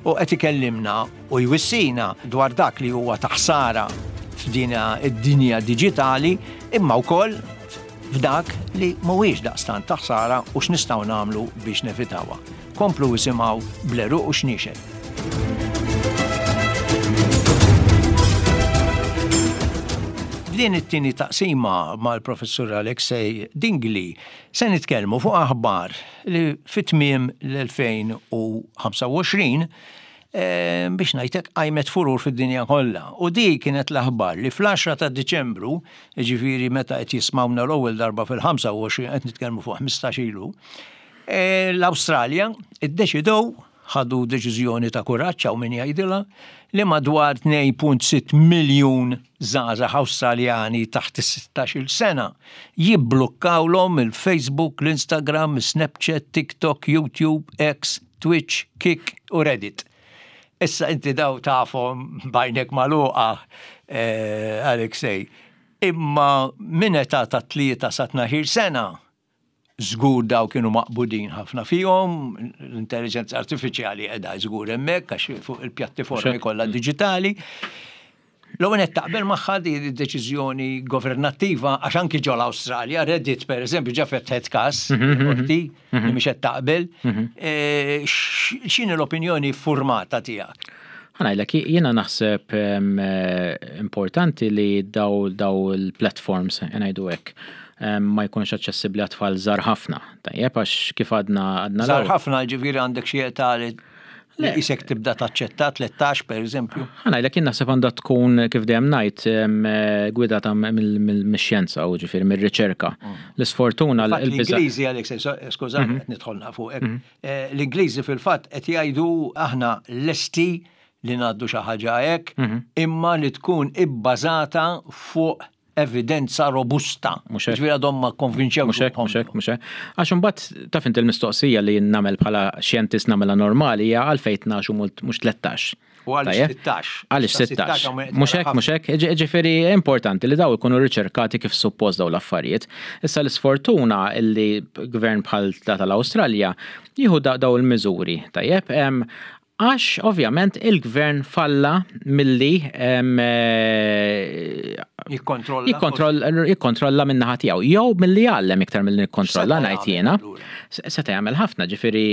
u qed ikellimna u jwissina dwar dak li huwa ta' ħsara f'din id-dinja diġitali imma wkoll f'dak li mhuwiex daqstant ta' ħsara u x'nistgħu nagħmlu biex nevitawha. Komplu isimgħu Bl-għeruq u Xniexel. F'din it-tieni taqsima mal-professur Alexei Dingli se nitkellmu fuq aħbar li fit-tmiem l-elfejn u ħamsa u għoxrin, eh, biex ngħidlek qajmet furur fid-dinja kollha. U di kienet l-aħbar li fl-għaxra ta' Diċembru, jiġifieri meta qed jismawna l-ewwel darba fil-ħamsa u għoxrin qed nitkellmu fuq ħmistax ilu, eh, l-Awstralja iddeċidew, ħadu deċiżjoni ta' kuraġġ hawn min jgħidilha, li madwar tnejn punt sitt miljun żgħażagħ Awstraljani taħt is-sittax-il sena jibblukkawlhom il-Facebook, l-Instagram, Snapchat, TikTok, YouTube, X, Twitch, Kik u Reddit. Issa inti daw tafhom bajnek magħluqa, eh, Alexei, imma minn età ta' tlieta sa tnax-il sena żgur daw kienu maqbudin ħafna fihom, l-intelligenza artifiċjali qiegħda żgur hemmhekk għax fuq il-pjattaformi Mhux hekk. kollha diġitali. L-ewwel qed taqbel magħha di deċiżjoni governattiva għax anki ġol Awstralja, Reddit per eżempju ġa fetħet każ Mhm, mhm. qorti li Mhm. mhix qed taqbel. Mhm. Eh, x-, x'inhi l-opinjoni formata tiegħek? Ħa ngħidlek, jiena naħseb, em, eh, importanti li daw, daw il-platforms, ngħidu hekk, em, ma jkunx aċċessibbli għat-tfal żgħar ħafna. Tajjeb, għax kif għadna, għadna Żgħar l-ewwel. ħafna, ġifieri għandek xi età li Le. isek tibda taċċetta tlettax per eżempju. Ħa ngħidlek, jien naħseb għandha tkun kif dejjem ngħid, em, eh, gwidata mill-, mill-, mix-xjenza u ġifieri mir-riċerka. Mm. L-isfortuna Fatt l-biża' l-Ingliżi, Alex, so-, skużani, Mhm. qed nidħolna fuqek. Mhm. Eh, l-Ingliżi fil-fatt qed jgħidu aħna lesti li ngħaddu xi ħaġa hekk, Mhm. imma li tkun ibbażata fuq evidenza robusta. Mhux hekk. Ġifieri għadhom ma konvinċewx Mhux hekk, ruħhom. mhux hekk, mhux hekk. Għax imbagħad taf inti l-mistoqsija li nagħmel bħala xjentist nagħmilha normali hija għalfejn tnax u mult-, mhux tlettax. U għaliex Tajjeb? sittax. Għaliex Sa sittax. sittax hawn qed Mhux nara hekk, mhux ħafna. hekk. Ġi-, ġifieri importanti li daw ikunu riċerkati kif suppost daw l-affarijiet. Issa l-isfortuna illi gvern bħal ta' tal-Awstralja jieħu da-, daw il-miżuri, tajjeb? Em, għax ovvjament il-gvern falla milli, em, eh, Jikkontrolla. jikkontroll-, jikkontrolla min-naħa tiegħu. Jew milli jgħallem iktar milli nikkontrolla Seta' ngħid jagħmel jiena. allura? S-, seta' jagħmel ħafna, ġifieri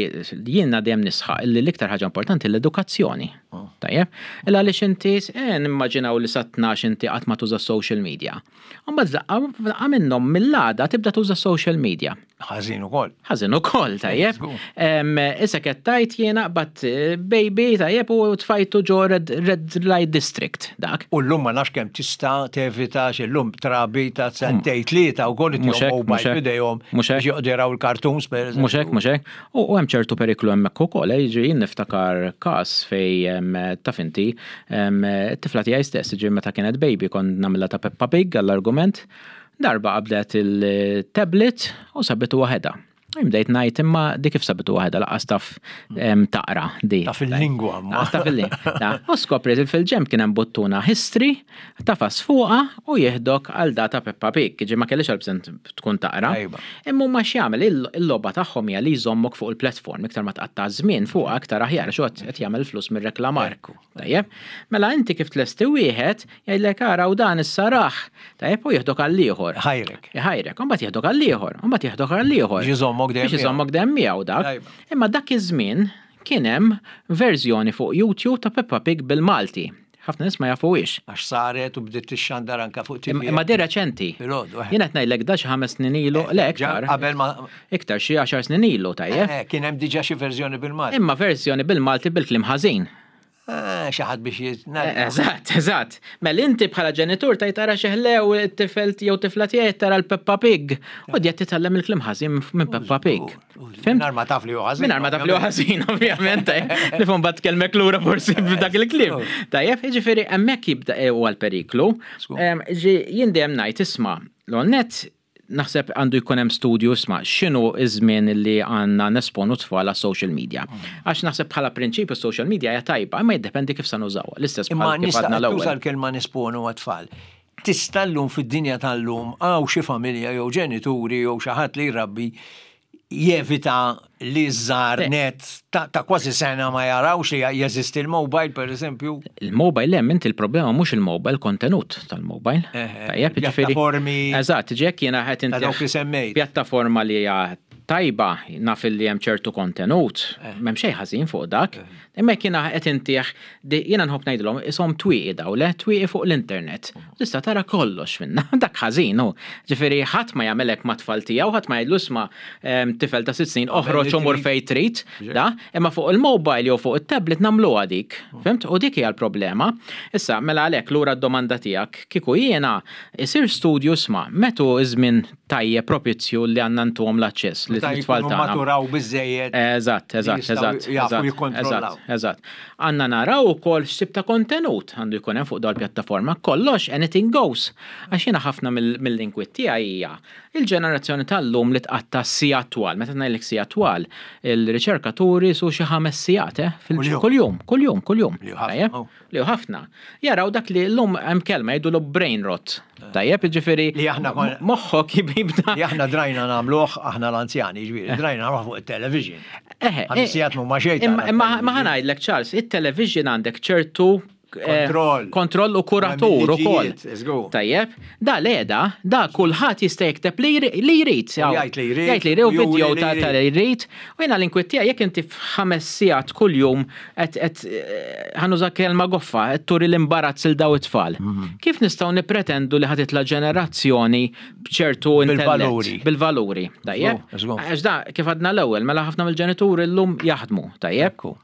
jiena dejjem nisħaq li l-iktar ħaġa importanti l-edukazzjoni. Oh. Tajjeb? Illa għaliex inti, eh, nimmaġinaw li sa tnax inti qatt ma tuża social media. Imbagħad daqqa, daqqa minnhom mill-għada tibda tuża social media. Ħażin ukoll. Ħażin ukoll, tajjeb. Żgur. Em, issa qed tgħid jiena qbadt, eh, baby, tajjeb, u tfajtu ġo red, red light district dak. U llum ma nafx kemm tista' tevita x'illum trabi ta' sentejn tlieta wkoll Mhux hekk, itihom mhux mobile hekk, f'idejhom mhux hekk. biex joqogħdu jaraw il-cartoons, per eżempju. Mhux hekk, mhux hekk. U, u hemm ċertu periklu hemmhekk ukoll, eh, jiġri jien niftakar każ fej, em, taf inti, em, it-tifla tiegħi stess, jiġri meta kienet baby kont nagħmilha ta' Peppa Pig għall-argument, darba qabdet il-tablet u sabitu waħedha. Bdejt ngħid imma dik kif sabitu waħedha laqas taf, em, taqra di. Taf il-lingwa, ma. Laqas taf il-lingwa. Da, u skopriet il fil-ġemp kien hemm buttuna history, tafas fuqha u jieħdok għal data Peppa Pig, ġi ma kellix għal bżonn tkun taqra. Ejba. Imma huma x'jagħmel, il-, il-logħba tagħhom hija li jżommok fuq il-platform, iktar ma tqatta' żmien fuqha aktar aħjar, xo qed jagħmel flus mir-reklamar. Ekku. Tajjeb? Mela inti kif tlesti wieħed jgħidlek ara u dan issa raħ. Tajjeb, u jieħdok għal ieħor. Ħajrek. Ħajrek, u mbagħad jieħdok għal ieħor, u mbagħad jieħdok għal ieħor. Biex iżommok dejjem Biex miegħu. iżommok dejjem miegħu dak. Tajba. Imma dak iż-żmien kien hemm verżjoni fuq YouTube ta' Peppa Pig bil-Malti. Ħafna nies ma jafuhiex. Għax saret u bdiet tixxandar anka fuq T V. Imma di reċenti. Filgħodu, eh. Jien qed ngħidlek da xi ħames snin ilu, le Ġa iktar. Qabel ma Iktar xi għaxar snin ilu, tajjeb. Eh, kien hemm diġà xi verżjoni bil-Malti. Imma verżjoni bil-Malti bil-kliem ħażin. Ah, xi ħadd biex jitnadda. Eh, eżatt, eżatt. Mela inti bħala ġenitur tajt tara xi ħlew it-tifel jew tifla tiegħek tara l-Peppa Pig. U qed titgħallem il-kliem ħażin minn Peppa Pig. Fhimt? Mingħajr ma taf li hu ħażin. Mingħajr ma taf li hu ħażin, ovvjament, eh. Nifhom bad tkellmek lura forsi b'dak il-kliem. Tajjeb, jiġifieri hemmhekk jibda huwa l-periklu. Żgur. Em, ġi, jien dejjem ngħid isma' l-net Naħseb għandu jkun hemm studju, isma', x'inhu iż-żmien li għandna nesponu tfal għas social media. Għax naħseb bħala prinċipju social media hija tajba, imma jiddependi kif sa nużawha. L-istess Imma bħal kif nista' għadna tuża l-ewwel. l-kelma nesponu għat-tfal. Tista' llum, fid-dinja tal-lum, hawn xi familja jew ġenituri jew xi ħadd li jrabbi jevita li żgħar Le. net ta', ta kważi sena ma jarawx li jeżisti l-mobile, per eżempju? Il-mobile hemm, inti il-problema mhux il-mobile, kontenut tal-mobile. Eh, Tajjeb, ġifieri- pjattaformi. Eżatt, ġek jiena qed Ta' inti dawk li semmejt. Pjattaforma li hija tajba, naf li hemm ċertu kontenut, Eh. m'hemm xejn ħażin fuq dak. Imma jekk jiena qed intih, jiena nħobb ngħidilhom ishom twieqi daw, le twieqi fuq l-internet. Tista' tara kollox minna, dak ħażin hu. Ġifieri ħadd ma jagħmelek ma' tfal tiegħu, ħadd ma jgħidlu, "Isma', em, tifel ta' sitt snin, oħroġ li u mur trid. fejn trid," da, imma fuq il-mobile jew fuq it-tablet nagħmluha dik. Fhimt? U dik hija l-problema. Issa, mela għalhekk lura d-domanda tiegħek, kieku jiena isir studju, isma', meta iż-żmien tajjeb propizju li għandna ntuhom l-aċċess li Meta t-tfal jkunu tagħna. maturaw biżejjed. Eżatt, eżatt, jistgħu eżatt. jafu eżatt, jikkontrollaw. Eżatt, eżatt. Għandna naraw ukoll x'tip ta' kontenut għandu jkun hemm fuq dal pjattaforma. Kollox, anything goes. Għax jiena ħafna mill- mill-inkwiet tiegħi hija il-ġenerazzjoni tal-lum li tqatta' sigħat twal. Meta ngħidlek sigħat twal, il-riċerkaturi su xi ħames sigħat, eh, fil- Kuljum. Kuljum, kuljum, kuljum. Li hu ħafna, Tajjeb? oh. Li hu ħafna. Jaraw dak li llum hemm kelma jgħidu brain rot. Tajjeb, ġifieri Li aħna kon- moħħok jibda. Li aħna drajna nagħmluh aħna l-anzjani, ġifieri, drajna nagħmluh fuq il-television. Eħe, Ħames sigħat mhuma xejn Imma tara imma ma television. ħa ngħidlek, Charles, it-television għandek ċertu eh, Kontroll. Kontroll u kuratur ukoll. Liġijiet, żgur. Tajjeb, da leda, da kulħadd jista' jikteb li jri- li jrid. jgħid li jrid, Jgħid li jrid u u juri video li ta' jrid. ta' li jrid. U jiena l-inkwiet tiegħi jekk inti f'ħames sigħat kuljum qed qed eh, ħa nuża kelma goffa, qed turi l-imbarazz il daw it-tfal. Mhm. Kif nistgħu nippretendu li ħa titla' ġenerazzjoni b'ċertu intellett? Bil-valuri. Bil-valuri. Tajjeb? Żgur, żgur. Għax da, kif għadna l-ewwel, mela ħafna mill-ġenituri llum jaħdmu, tajjeb? Ekku.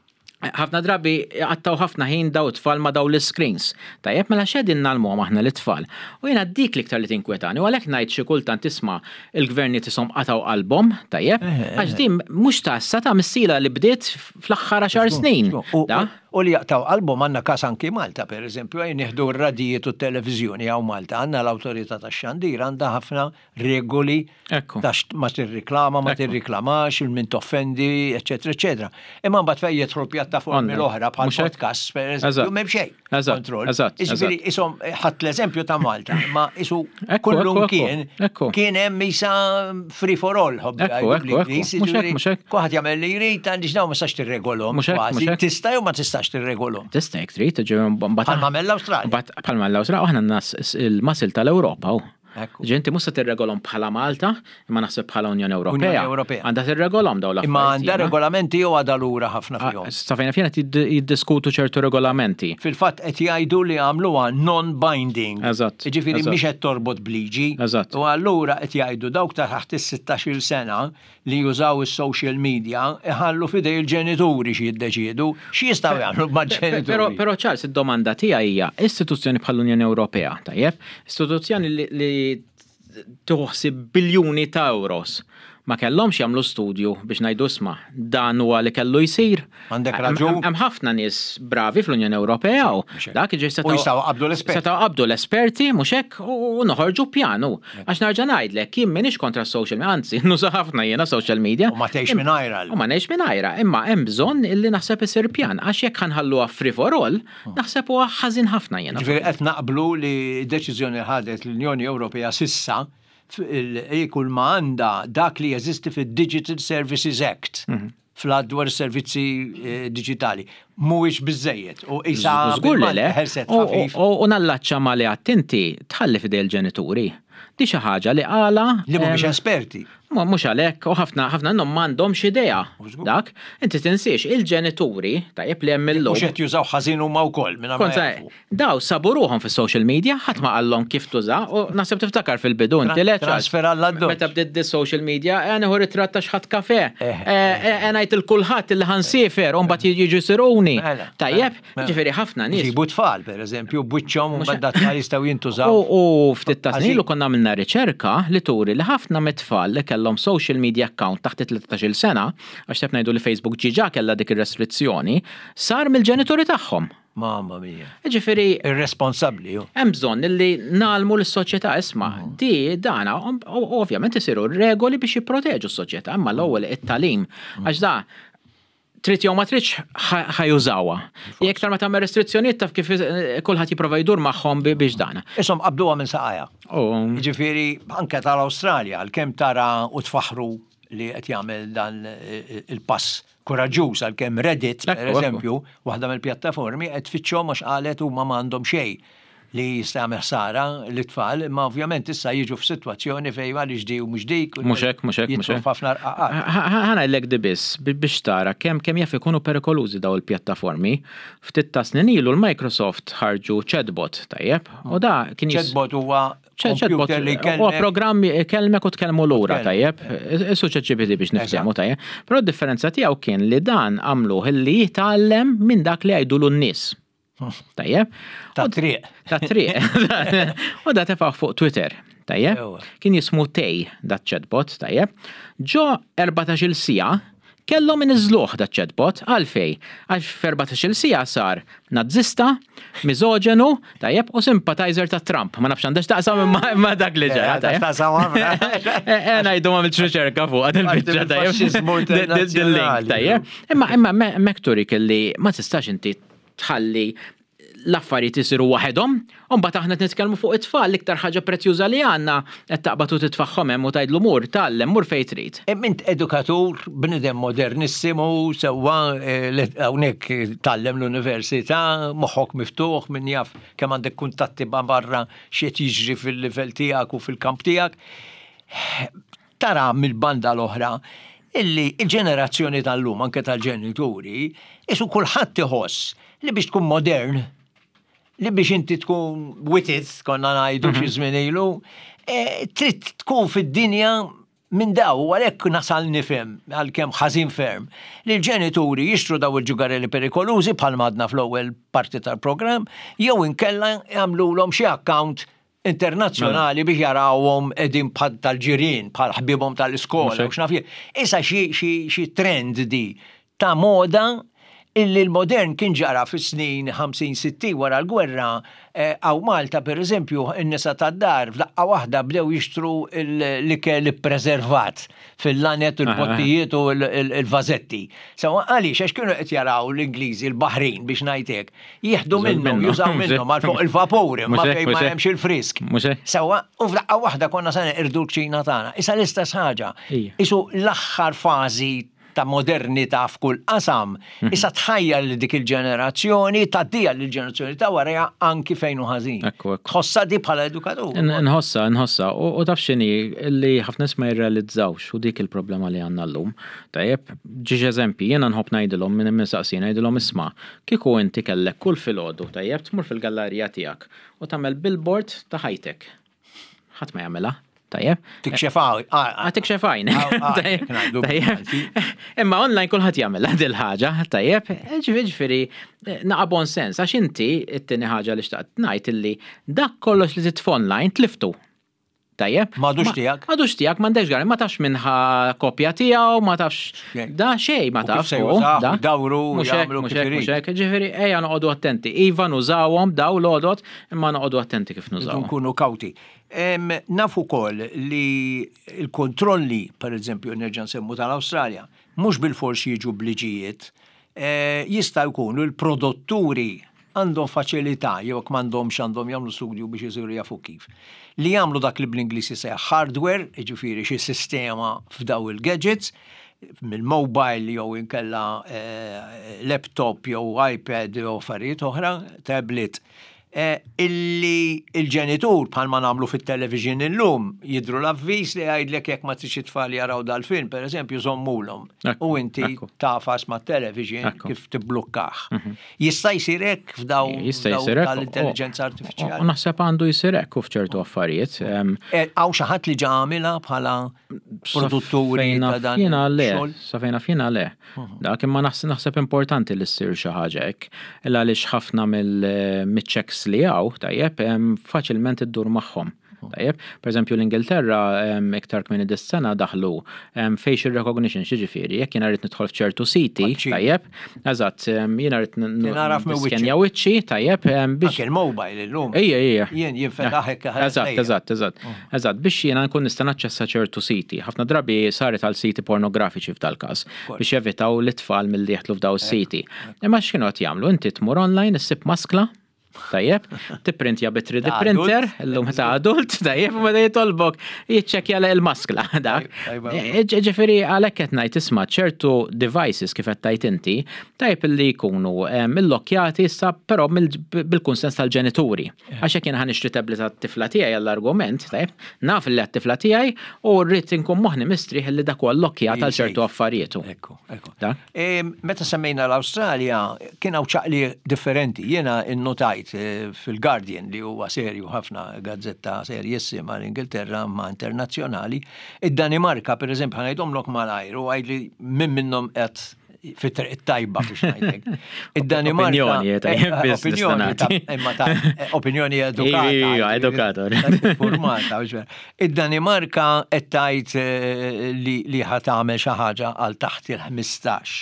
Ħafna drabi għattaw ħafna ħin daw it-tfal ma daw l-screens. Tajjeb, mela x'qegħdin ngħallmuhom aħna l-tfal? U jiena dik l-iktar li tinkwetani. U għalhekk ngħid xi kultant, isma', il-gvernijiet ishom qataw qalbhom, tajjeb? Għax din mhux ta' issa, ta' missila li bdiet fl-aħħar għaxar snin. U, Da? u li jaqtaw qalbhom għandna kas anki Malta, per eżempju, għaj nieħdu r-radijiet u t-televizjoni hawn Malta, għandna l-autorità tax-xandir għandha ħafna regoli Ekku. ta' x- ma tirriklama, ma Ekku. tirriklamax, il-min toffendi, eccetera, eccetera. Imma mbagħad fejn jidħlu pjattaformi Online. l-oħra bħal Mhux hekk? podcast, per eżempju, Eżatt. m'hemm xejn. Eżatt, Kontroll. eżatt, Jiġifieri ishom ħadd l-eżempju ta' Malta, ma isu Ekku, kullum ekku, ekku, kien ekku. kien hemm isa free for all, ħobbi Ekku, jgħidu ekku, ekku. bl-Ingliż, Mhux hekk, jiġifieri mhux hekk. kulħadd jagħmel li jrid, għandix dawn ma tistax tirregolhom. Mhux hekk, kważi. mhux hekk. Tista' jew ma tistax tirregolhom. Tista' jekk trid, ġifieri mbagħad Bħalma għamel l-Awstralja. Mbagħad bħalma l-Awstralja, aħna nas il-muscle tal-Ewropa. u. Ekku. Ġenti mhux se tirregolhom bħala Malta, imma naħseb bħala Unjoni Ewropea. Unjoni Ewropea. Għandha tirregolhom dawn l-affarijiet. Imma għandha jiena. regolamenti jew għadha lura ħafna fihom? Sa fejn naf jiddiskutu ċertu regolamenti. Fil-fatt qed jgħidu li għamluha non-binding. Eżatt, Jiġifieri eżatt. mhix qed torbot bliġi. Eżatt. U allura qed jgħidu dawk ta' taħt is-sittax-il sena li jużaw is-social media iħallu f'idej il-ġenituri xi jiddeċiedu x'jistgħu jagħmlu mal-ġenituri. Pero, pero Charles, id-domanda tiegħi hija istituzzjoni bħall-Unjoni Ewropea, tajjeb? Istituzzjoni li, li tuħsib biljuni ta' euros. Ma kellhomx jagħmlu studju biex ngħidu, "Isma', dan huwa li kellu jsir"? Għandek Hemm- raġun. Hemm ħafna nies bravi fl-Unjoni Ewropea u dak ġi U jistgħu qabdu l-esperti. Setgħu qabdu l-esperti, mhux hekk, u noħorġu pjanu. Għax nerġa' ngħidlek, jien m'iniex kontra social media, anzi, nuża ħafna jiena social media. U ma tgħix mingħajrha. U ma ngħix mingħajrha, imma hemm bżonn illi naħseb isir pjan, għax jekk ħa nħalluha free for all, naħseb huwa ħażin ħafna jiena. Ġifieri qed naqblu li deċiżjoni ħadet l-Unjoni Ewropea sissa kull ma għandha dak li jeżisti fid-Digital Services Act Mhm. fl dwar servizzi eh, digitali mhuwiex biżejjed u isa Żgur li le. ħelset U- ħafif. U u nallaċċa ma li għattinti tħalli fidej il-ġenituri. Di xi ħaġa li għala. Li mhumiex em, esperti. Ma mhux għalhekk, u ħafna ħafna minnhom m'għandhomx idea. żgur. Dak, inti tinsiex il-ġenituri, tajjeb, li hemm illum. Mhux qed jużaw ħażin huma wkoll minn ma Kont jafu. daw sabu ruħhom fis-social media, ħadd ma qallhom kif tuża, u naħseb tiftakar fil-bidu inti le, Charles? Transfer għall-addoċ. Meta bdiet di social media, eh, nieħu ritratt ta' x'ħadd kafe. Eh, Eh, eh, ngħid il kulħadd illi ħa nsiefer u mbagħad jiġu jsiruni. Mela, Tajjeb, mela. ġifieri ħafna nies. Ġibu tfal, per eżempju, bwiċċhom u mbagħad tfal jistgħu jintużaw. U u ftit ta' snin Ħażin. u konna Aħna għamilna riċerka li turi li ħafna mit-tfal li kellhom social media account taħt it-tlettax-il sena, għax tef ngħidu li Facebook diġà kellha dik ir-restrizzjoni, sar mill-ġenituri tagħhom. Mamma mia. Ġifieri Irresponsabbli, ju. Hemm bżonn li ngħallmu lis-soċjetà, isma' di dana u ovvjament isiru regoli biex jipproteġu s-soċjetà, imma l-ewwel it-tagħlim, għax da trid jew ma tridx ħa jużawha. Jekk iktar ma tagħmel restrizzjonijiet, taf kif, eh, kulħadd jipprova jdur magħhom biex dana. Isom qabduha minn saqajha. U Ġifieri, anke tal-Awstralja, għalkemm tara u tfaħru li qed jagħmel dan eh, il-pass kuraġġuż, għalkemm Reddit, per Ekku, ekku. eżempju, waħda mill-pjattaformi qed tfittxhom għax qalet huma m'għandhom xejn li jista' jagħmel ħsara l-tfal, imma ovvjament issa jiġu f'sitwazzjoni fejn għaliex di u mhux dik. U Mhux hekk, mhux hekk, mhux jidħlu hekk. f'ħafna rqaqat. Ħa ngħidlek di biss biex tara kemm kemm jaf ikunu perikolużi daw il-pjattaformi. Ftit ta' snin ilu l-Microsoft ħarġu chatbot, tajjeb, u da kien jis- Chatbot huwa Chatbot computer li huwa jkellmek. programm kellmek u tkellmu lura, Tkellmu. tajjeb. Isu ChatGPT biex niftehmu, tajjeb. Però d-differenza tiegħu kien li dan għamluh li jitgħallem minn dak li jgħidulu n-nies. Tajjeb. Ta' U- triq. Ta' triq. U da tefgħu fuq Twitter. Tajjeb. Ewa. Kien jismu Tay dat chatbot, tajjeb. Ġo erbatax-il siegħa kellhom iniżżluh dat chatbot. Għalfej? Għax f'erbatax-il siegħa sar nazzista, miżoġenu, tajjeb, u sympathizer ta' Trump. Ma nafx għandax taqsam imma imma dak li ġara, Eh, tajjeb. taqsam ħafna. Eh, eh, ngħidu ma għamiltx riċerka fuq għad il-biċċa, tajjeb. Il-faxxiżmu Dil-link, internazzjonali. tajjeb. Imma imma me- mek turik li ma tistax inti tħalli l-affarijiet isiru waħedhom, u mbagħad aħna qed nitkellmu fuq it-tfal, l-iktar ħaġa prezzjuża li għandna, qed taqbad u titfaħħom hemm u tgħidlu mur, tgħallem, mur fejn trid. Int edukatur, bnidem modernissimu, sewwa, eh, li hawnhekk tgħallem l-università, moħħok miftuħ, min jaf kemm għandek kuntatti ma' barra, x'qed jiġri fil-livell tiegħek u fil-kamp tiegħek. Tara mill-banda l-oħra illi il-ġenerazzjoni tal-lum, anke tal-ġenituri, isu kulħadd iħoss li biex tkun modern, li biex inti tkun with it, konna ngħidu xi żmien ilu, eh, trid tkun fid-dinja minn daw, u għalhekk nasal nifhem, għalkemm ħażin ferm, li l-ġenituri jixtru daw il-ġugarelli perikolużi bħal madna fl-ewwel parti tal-programm, jew inkella jagħmluhom xi account internazzjonali biex jarawhom qegħdin bħal tal-ġirien, bħal ħbibhom tal-iskola, Mhux u x'naf jien. Issa xi xi xi trend di ta' moda illi l-modern kien ġara fis-snin ħamsin sittin wara l-gwerra, eh, hawn Malta, per eżempju, in-nisa tad-dar f'daqqa waħda bdew jixtru l-ikel ippreservat fil-lanet, il-pottijiet u il-vażetti. Sewwa, għaliex? Għax kienu qed jaraw l-Ingliżi, l-Baħrin biex ngħidlek, jieħdu minnhom, jużaw minnhom għal fuq il-vapuri, ma fejn ma hemmx il-frisk. Sewwa, u f'daqqa waħda konna sa neqirdu l-kċina tagħna. Issa l-istess ħaġa. Isu l-aħħar fażi ta' modernità f'kull qasam, mhm. issa tħajja li dik il-ġenerazzjoni, tgħaddiha l-ġenerazzjoni ta' warajha anki fejn hu ħażin. Tħossa di bħala edukatur? Nħossa, nħossa. U taf x'inhi li ħafna nies ma jirrealizzawx, u dik il-problema li għandna llum. Tajjeb, żewġ eżempji, jiena nħobb ngħidilhom minn min saqsina, ngħidilhom, isma', kieku inti kellek kull filgħodu, tajjeb, tmur fil-gallerija tiegħek u tagħmel billboard ta' ħajtek. Ħadd ma jagħmilha. Tajjeb. Tikxef għaj. Ah, tikxef għajn. Tajjeb. Imma online kulħadd jagħmel dil ħaġa, tajjeb. Ġifieri naqa' bon sens, għax inti it-tieni ħaġa li xtaqt ngħid illi dak kollox li titfa' online tliftu. Tajjeb. M'għadux tiegħek. M'għadux tiegħek, m'għandekx għar, ma tafx minn ħa kopja tiegħu, ma tafx da xejn ma tafx. Dawru, jagħmlu kif. Ġifieri ejja noqogħdu attenti. Iva, nużawhom daw l-għodot, imma noqogħdu attenti kif nużawhom. Nkunu kawti. Nafu ukoll li il-kontrolli, per eżempju, nerġa' nsemmu tal-Awstralja, mhux bil-fors jiġu bliġijiet, eh, jista' jkunu l-produtturi għandhom faċilità, jew jekk m'għandhomx għandhom jagħmlu studju biex isiru jafu kif. Li jagħmlu dak li bl-Ingliż jisejjaħ hardware, jiġifieri xi sistema f'daw il-gadgets, mill-mobile jew inkella eh, laptop jew iPad jew affarijiet oħra, tablet, eh, illi il-ġenitur, bħalma nagħmlu fit-television illum, jidru l-avviż li jgħidlek jekk ma tridx it-tfal jaraw dal-film, per eżempju, żommulhom. U inti tafas ma' television kif tibblukkaħ. Mhm. Jista' jsir hekk f'daw tal-intelligenza artifiċjali? U naħseb għandu jsir hekk u f'ċertu affarijiet. Eh, hawn xi ħadd li ġa għamilha bħala produtturi ta' dan? Jiena le, sa fejn naf jiena le. Mhm. Dak imma naħseb importanti li ssir xi ħaġa hekk. Illa għaliex ħafna mill-checks li hawn, tajjeb, faċilment iddur magħhom. Tajjeb, per eżempju l-Ingilterra iktar kmieni dis-sena daħlu facial recognition, xiġifieri, jekk jiena rrid nidħol f'ċertu siti, tajjeb, eżatt, jiena rrid niskenja wiċċi, tajjeb, biex. Anke il-mobile illum. Ejja, ejja. Jien jinfetaħ hekk. Eżatt, eżatt, eżatt. Eżatt, biex jiena nkun nista' naċċessa ċertu siti. Ħafna drabi saret għal siti pornografiċi f'dal-każ biex jevitaw l-itfal milli jeħtlu f'daw is-siti. Imma x'kienu qed jagħmlu? Inti tmur online, issib maskla, tajjeb, tipprintja bi three D printer, illum ta' adult, tajjeb, u meta jitolbok jiċċekkja il-maskla dak. Ġifieri għalhekk qed ngħid, isma', ċertu devices kif qed tgħid inti, tajjeb li jkunu illokkjati issa, però bil-kunsens tal-ġenituri. Għax jekk jien ħa nixtri tablet tat-tifla tiegħi għall-argument, tajjeb, naf li għat-tifla tiegħi u rrid inkun moħħni mistrieħ li dak huwa llokkjat għal ċertu affarijiet. Ekku, ekku. Meta semmejna l-Awstralja, kien hawn ċaqli differenti. Jiena innotajt fil-Guardian, li huwa serju ħafna, gazzetta serjissima l-Ingilterra ma internazzjonali, id-Danimarka, per eżempju, ħa ngħidhomlok malajr u għidli min minnhom qed fit-triq it-tajba biex ngħidlek. Id-Danimarka. Opinjoni, imma ta' opinjoni edukata. Edukata. Formata. Id-Danimarka qed tgħid li ħa tagħmel xi ħaġa għal taħt il-ħmistax.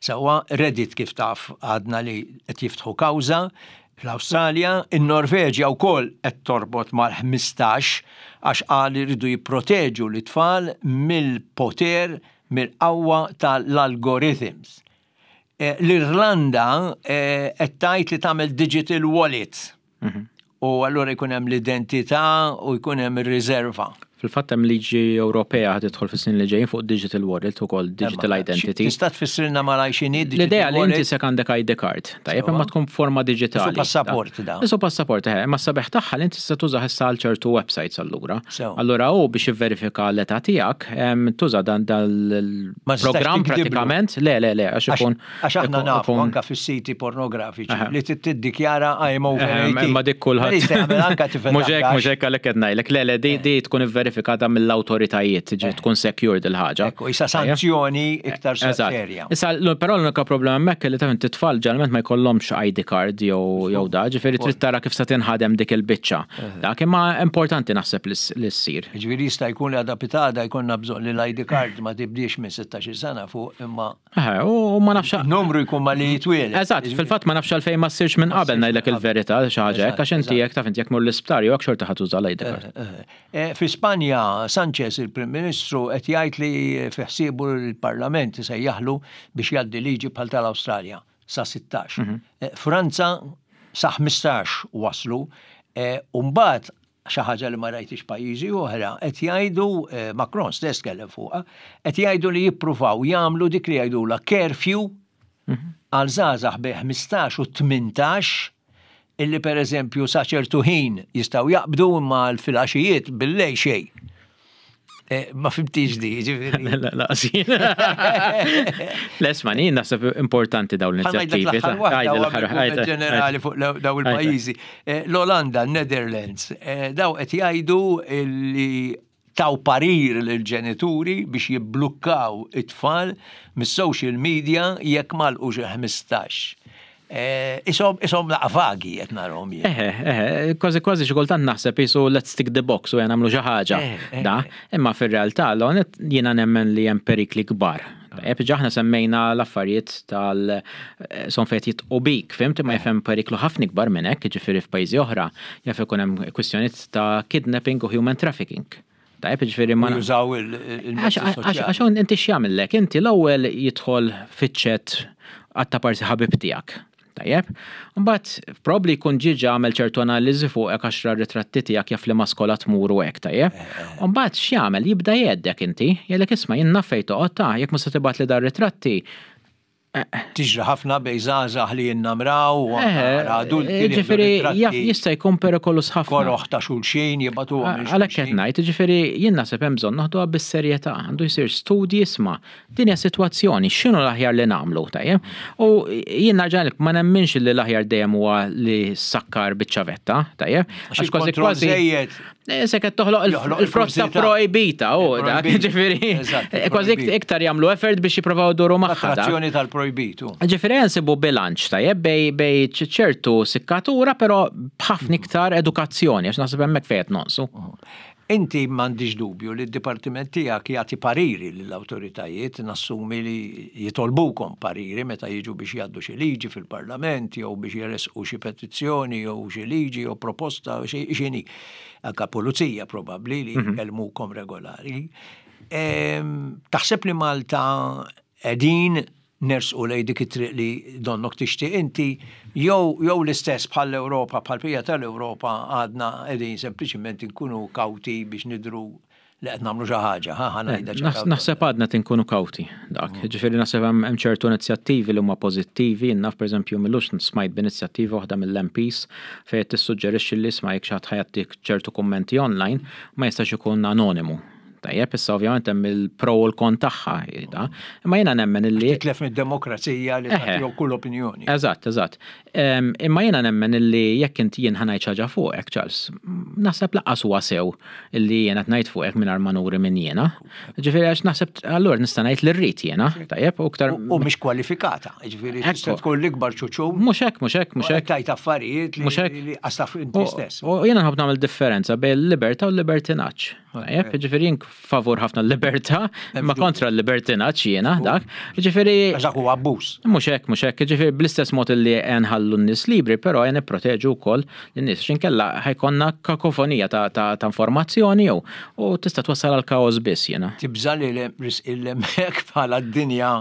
Sewwa, Reddit, kif taf, għadna li qed jiftħu kawża fl-Awstralja, in-Norveġja wkoll qed torbot mal-ħmistax għax qal iridu jipproteġu l-itfal mill-poter, mill-qawwa tal-algorithms. L-Irlanda qed tgħid li tagħmel digital wallet. U allura jkun hemm l-identità u jkun hemm ir-riserva. Fil-fatt hemm liġi Ewropea ħad tidħol fis-snin li ġejjin fuq digital wallet ukoll, digital identity. Tista' tfissrilna malaj x'inhi digital? L-idea li inti se għandek I D card, tajjeb, imma tkun forma diġitali. Isu passaport da. Isu passaport, eh, imma sabiħ tagħha li inti tista' tuża issa għal ċertu websites allura. Allura hu biex jivverifika l-età tiegħek, tuża dan dal-programm pratikament. Le, le, le, għax ikun. Għax aħna nafu anke fis-siti pornografiċi li tiddikjara "I'm over eighteen". Imma dik kulħadd. Mhux hekk, mhux hekk għalhekk qed ngħidlek. Le, le, di tkun verifikata mill-awtoritajiet, ġi tkun secured il-ħaġa. Ekku, issa sanzjoni iktar serja. Issa, però l-unika problema hemmhekk li taf inti tfal ġeneralment ma jkollhomx I D card jew jew da, ġifieri trid tara kif se tinħadem dik il-biċċa. Dak imma importanti naħseb li ssir. Ġifieri jista' jkun li għada pitgħada jkollna bżonn li l-I D card ma tibdiex minn sittax-il sena fuq, imma u ma nafx numru jkun ma li jitwieled. Eżatt, fil-fatt ma nafx għalfejn ma ssirx minn qabel, ngħidlek il-verità, xi ħaġa hekk, għax inti jekk taf inti jekk mur l-isptar jew hekk xorta ħa tuża l-I D card. Fi Spanja, Sanchez, il-Prim Ministru, qed jgħid li fi ħsiebu l-Parlament isejjaħlu biex jgħaddi liġi bħal tal-Awstralja sa sittax. Franza sa ħmistax waslu, u mbagħad xi ħaġa li ma rajtix pajjiżi oħra, qed jgħidu, Macron stess kellem fuqha, qed jgħidu li jippruvaw jagħmlu dik li jgħidula curfew għal żgħażagħ bejn ħmistax u tmintax, illi per eżempju sa ċertu ħin jistgħu jaqbdu, imma l-filgħaxijiet billejl xejn. Ma fhimtix di, ġifieri. La, la, Lesma, jien naħseb importanti dawn l-inizjattivi. Ġenerali fuq daw il-pajjiżi. L-Olanda, Netherlands, daw qed jgħidu li taw parir lill-ġenituri biex jibblukkaw it-tfal mis-social media jekk m'għalqux ħmistax. Isom isom naqra vagi qed narahom jien. Eħe, eħe, kważi kważi xi kultant naħseb jisu let's tick the box u nagħmlu xi ħaġa. Da, imma fir-realtà l jiena nemmen li hemm perikli kbar. Tajjeb, ġaħna semmejna l-affarijiet tal son fejn jitqu bik, fhimt, ma jfhem periklu ħafna kbar minn hekk, ġifieri f'pajjiżi oħra, jaf ikun hemm kwistjonijiet ta' kidnapping u human trafficking. Tajjeb, ġifieri ma. Jużaw il-mezzi soċjali. Għax inti x'jagħmellek? Inti l-ewwel jidħol fiċ-chat għatta parsi ħabib tiegħek. Tajjeb, mbagħad probably jkun ġiġa għamel ċertu analiżi fuq hekk għaxra ritratti tiegħek, jaf li ma skola tmur u hekk, tajjeb. Mbagħad x'jagħmel? Jibda jgħeddek inti, jgħidlek, "Isma', jien naf fejn toqgħod ta', jekk ma se tibgħat li dar ritratti." Tiġri ħafna bejn żgħażagħ li jinnamraw u adulti li Ġifieri jaf jista' jkun perikolus ħafna. Koroħ ta' xulxin jibagħtu. Għalhekk qed ngħid, ġifieri jien naħseb hemm bżonn noħduha bis-serjetà, għandu jsir studji, isma', din hija sitwazzjoni, x'inhu l-aħjar li nagħmlu, tajjeb? U jien nerġa' ma nemminx li l-aħjar dejjem huwa li sakkar biċ-ċavetta, tajjeb? Għax kważi kważi Se qed toħloq il-frotta projbita, u dak, ġifieri, kważi iktar jagħmlu effort biex jippruvaw duru magħha. Attrazzjoni tal Projbitu. Ġifieri nsibu bilanċ tajjeb bejn bejn ċertu sikkatura, però b'ħafna iktar edukazzjoni, għax naħseb hemmhekk fejn nonqsu. Inti m'għandix dubju li d-dipartiment tiegħek jagħti pariri lill-awtoritajiet, nassumi li jitolbukom pariri meta jiġu biex jgħaddu xi liġi fil-Parlament jew biex jersqu xi petizzjoni jew xi liġi jew proposta xi xini. Anka pulizija probabbli li mhm. jkellmukom regolari. Taħseb li Malta qegħdin nersqu lej dik it-triq li donnok tixtieq inti, jew jew l-istess bħall-Ewropa, bħall-bqija tal-Ewropa, għadna qegħdin sempliċiment inkunu kawti biex nidru li qed nagħmlu xi ħaġa, ħa ngħidha? Naħseb għadna tinkunu kawti dak. Mm. Ġifieri naħseb hemm ċertu inizjattivi li huma pożittivi, naf pereżempju m'ilux smajt b'inizjattiva waħda mill-M Ps fejn tissuġġerixxi li isma', jekk xi ħadd ħa jagħtik ċertu kummenti online, ma jistax ikun anonimu. Tajjeb, issa ovvjament hemm il-pro u l-kon tagħha, da. Imma jiena nemmen illi Titlef mid-demokrazija li tagħti kull opinjoni. Eżatt, eżatt. Imma jiena nemmen illi jekk inti jien ħa ngħid ħaġa fuqek, Charles, naħseb lanqas huwa sew illi jiena qed ngħid fuqek mingħajr ma nuri minn jiena. Ġifieri għax naħseb allura nista' ngħid li rrid jiena, tajjeb, u iktar. U mhix kwalifikata, ġifieri tista' tkun l-ikbar ċuċu. Mhux hekk, mhux hekk, mhux hekk. Tajt affarijiet li għastaf inti stess. U jiena nħobb nagħmel differenza bejn il-libertà u l-libertinaġġ. Tajjeb, ġifieri jien favur ħafna l-libertà, ma kontra l-libertinaġġ jiena dak. Ġifieri. Għax huwa abbuż. Mhux hekk, mhux hekk, ġifieri bl-istess mod li nħallu n-nies libri, però jen nipproteġu wkoll lin-nies. X'inkella ħa jkollna kakofonija ta' ta' informazzjoni jew u tista' twassal għal kaos biss jiena. Tibża li l-hemmhekk bħala d-dinja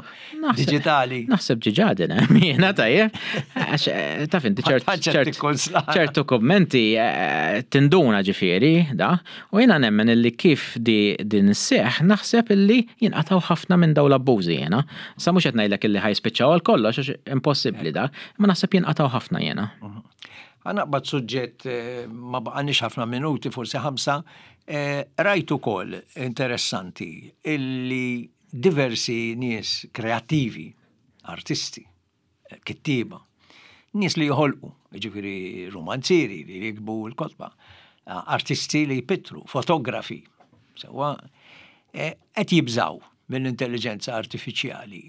digitali. Naħseb diġà din hemm jiena, tajjeb. Għax eh, taf inti ċertu kommenti eh, tinduna ġifieri da, u jiena nemmen illi kif di din isseħ naħseb illi jinqataw ħafna minn daw l-abbużi jiena. Sa mhux qed ngħidlek illi ħa jispiċċaw għal kollox għax impossibbli da, imma naħseb jinqataw ħafna jiena. Ħa naqbad suġġett, eh, ma baqanix ħafna minuti, forsi ħamsa, eh, rajt ukoll interessanti illi diversi nies kreattivi, artisti, eh, kittiba, nies li joħolqu, ġifieri romanzieri li jiktbu l-kotba, artisti li jpittru, fotografi, sewa, qed jibżaw mill-intelligenza artifiċjali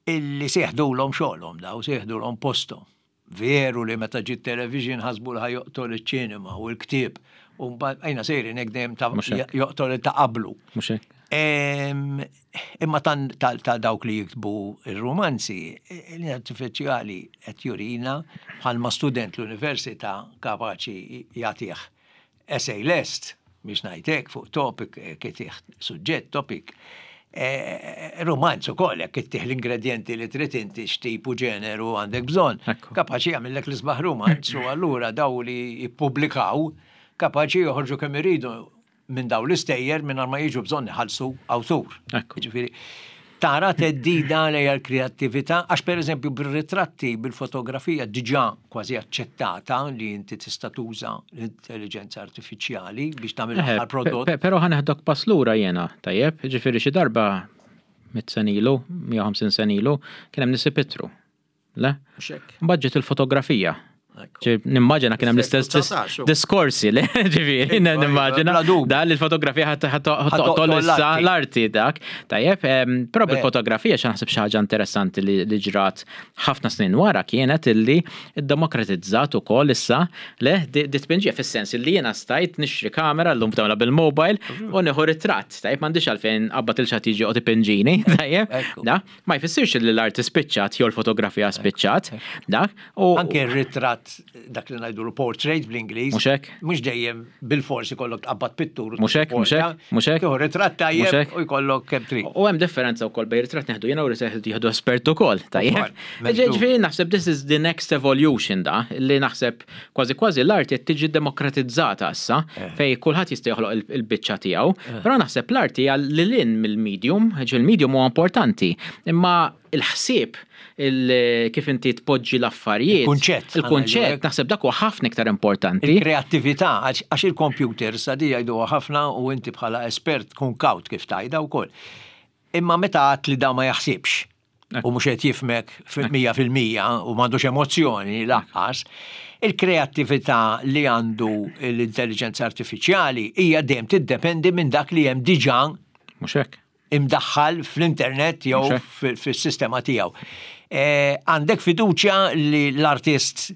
illi se jeħdulhom xogħolhom daw, se jeħdulhom posthom. Veru li meta ġiet television ħasbu li ħa joqtol iċ-ċinema u l-ktieb u mbagħad għajna sejrin hekk dejjem ta' joqtol ta' qablu. Imma ta' dawk li jiktbu il-romanzi, l-artifiċjali qed jurina bħalma student l-università kapaċi jagħtih essay lest, biex ngħidlek, fuq topic, kitih suġġett topic. Eh, romanz ukoll, jekk ittih l-ingredienti li trid inti, x'tipu ġeneru għandek bżonn. Kapaċi jagħmellek l-isbaħ romanz u allura daw li jippubblikaw kapaċi joħorġu kemm iridu minn daw l-istejjer minn ma jiġu bżonn iħallsu awtur. Ġifieri, tara theddida lejn l-kreattività, għax per eżempju bil-ritratti, bil-fotografija diġà kważi aċċettata li inti tista' tuża l-intelligenza artifiċjali biex tagħmel Eħe, prodott. pe- Però ħa neħdok pass lura jiena, tajjeb, ġifieri xi darba mitt sena ilu, mija u ħamsin sena ilu, kien hemm nies ipittru. Le? Mbagħad ġiet il-fotografija. Ġi, nimmaġina kien hemm l-istess dis- Seklu dsatax, diskorsi li ġifieri nimmaġina Bla dubju. da li l-fotografija ħa toqtol toqtol issa l-arti. l-arti dak. Tajjeb, em, però Ver. bil-fotografija xa naħseb xi ħaġa interessanti li li ġrat ħafna snin wara kienet illi iddemokratizzat ukoll issa le di di tpinġija, fis-sens illi jiena stajt nixtri kamera, llum tagħmilha bil-mobile, u nieħu ritratt. Tajjeb, m'għandix għalfejn qabad il xi ħadd jiġi joqgħod ipinġini, tajjeb. Ekku. Da, ma jfissirx li l-arti spiċċat jew l-fotografija spiċċat, dak. U Anke r-ritratt, dak li ngħidu portrait bl-Ingliż. Mhux hekk? Mhux dejjem bil-forsi kollok tqabbad pittur. Mhux hekk, mhux hekk, mhux hekk. Tieħu ritratt Mhux tajjeb hekk. u jkollok kemm trid. U hemm differenza wkoll bejn ritratt neħdu jiena u ritratt jieħdu espert ukoll, tajjeb. Ukoll, m'hemmx Ġifieri naħseb this is the next evolution da, li naħseb kważi kważi l-arti qed tiġi demokratizzata issa, Eh. fej kulħadd jista' joħloq il- il-biċċa tiegħu, però naħseb l-arti hija lil hinn mill-medium, ġi il-medium huwa importanti, imma il-ħsieb il kif inti tpoġġi l-affarijiet. Il-kunċett, Il-kunċett, naħseb dak huwa ħafna iktar importanti. Il-kreattività, għax għax il-computer sa di jgħidu ħafna u inti bħala espert kun kawt kif tajda wkoll. Imma meta għat li da ma jaħsibx u mhux qed jifhmek mija fil-mija u m'għandux emozzjoni lanqas, il-kreattività li għandu l-intelligenza artifiċjali hija dejjem tiddependi minn dak li hemm diġà Mhux hekk. imdaħħal fl-internet jew Mhux hekk. fil- fis-sistema tiegħu. Għandek fiduċja li l-artist,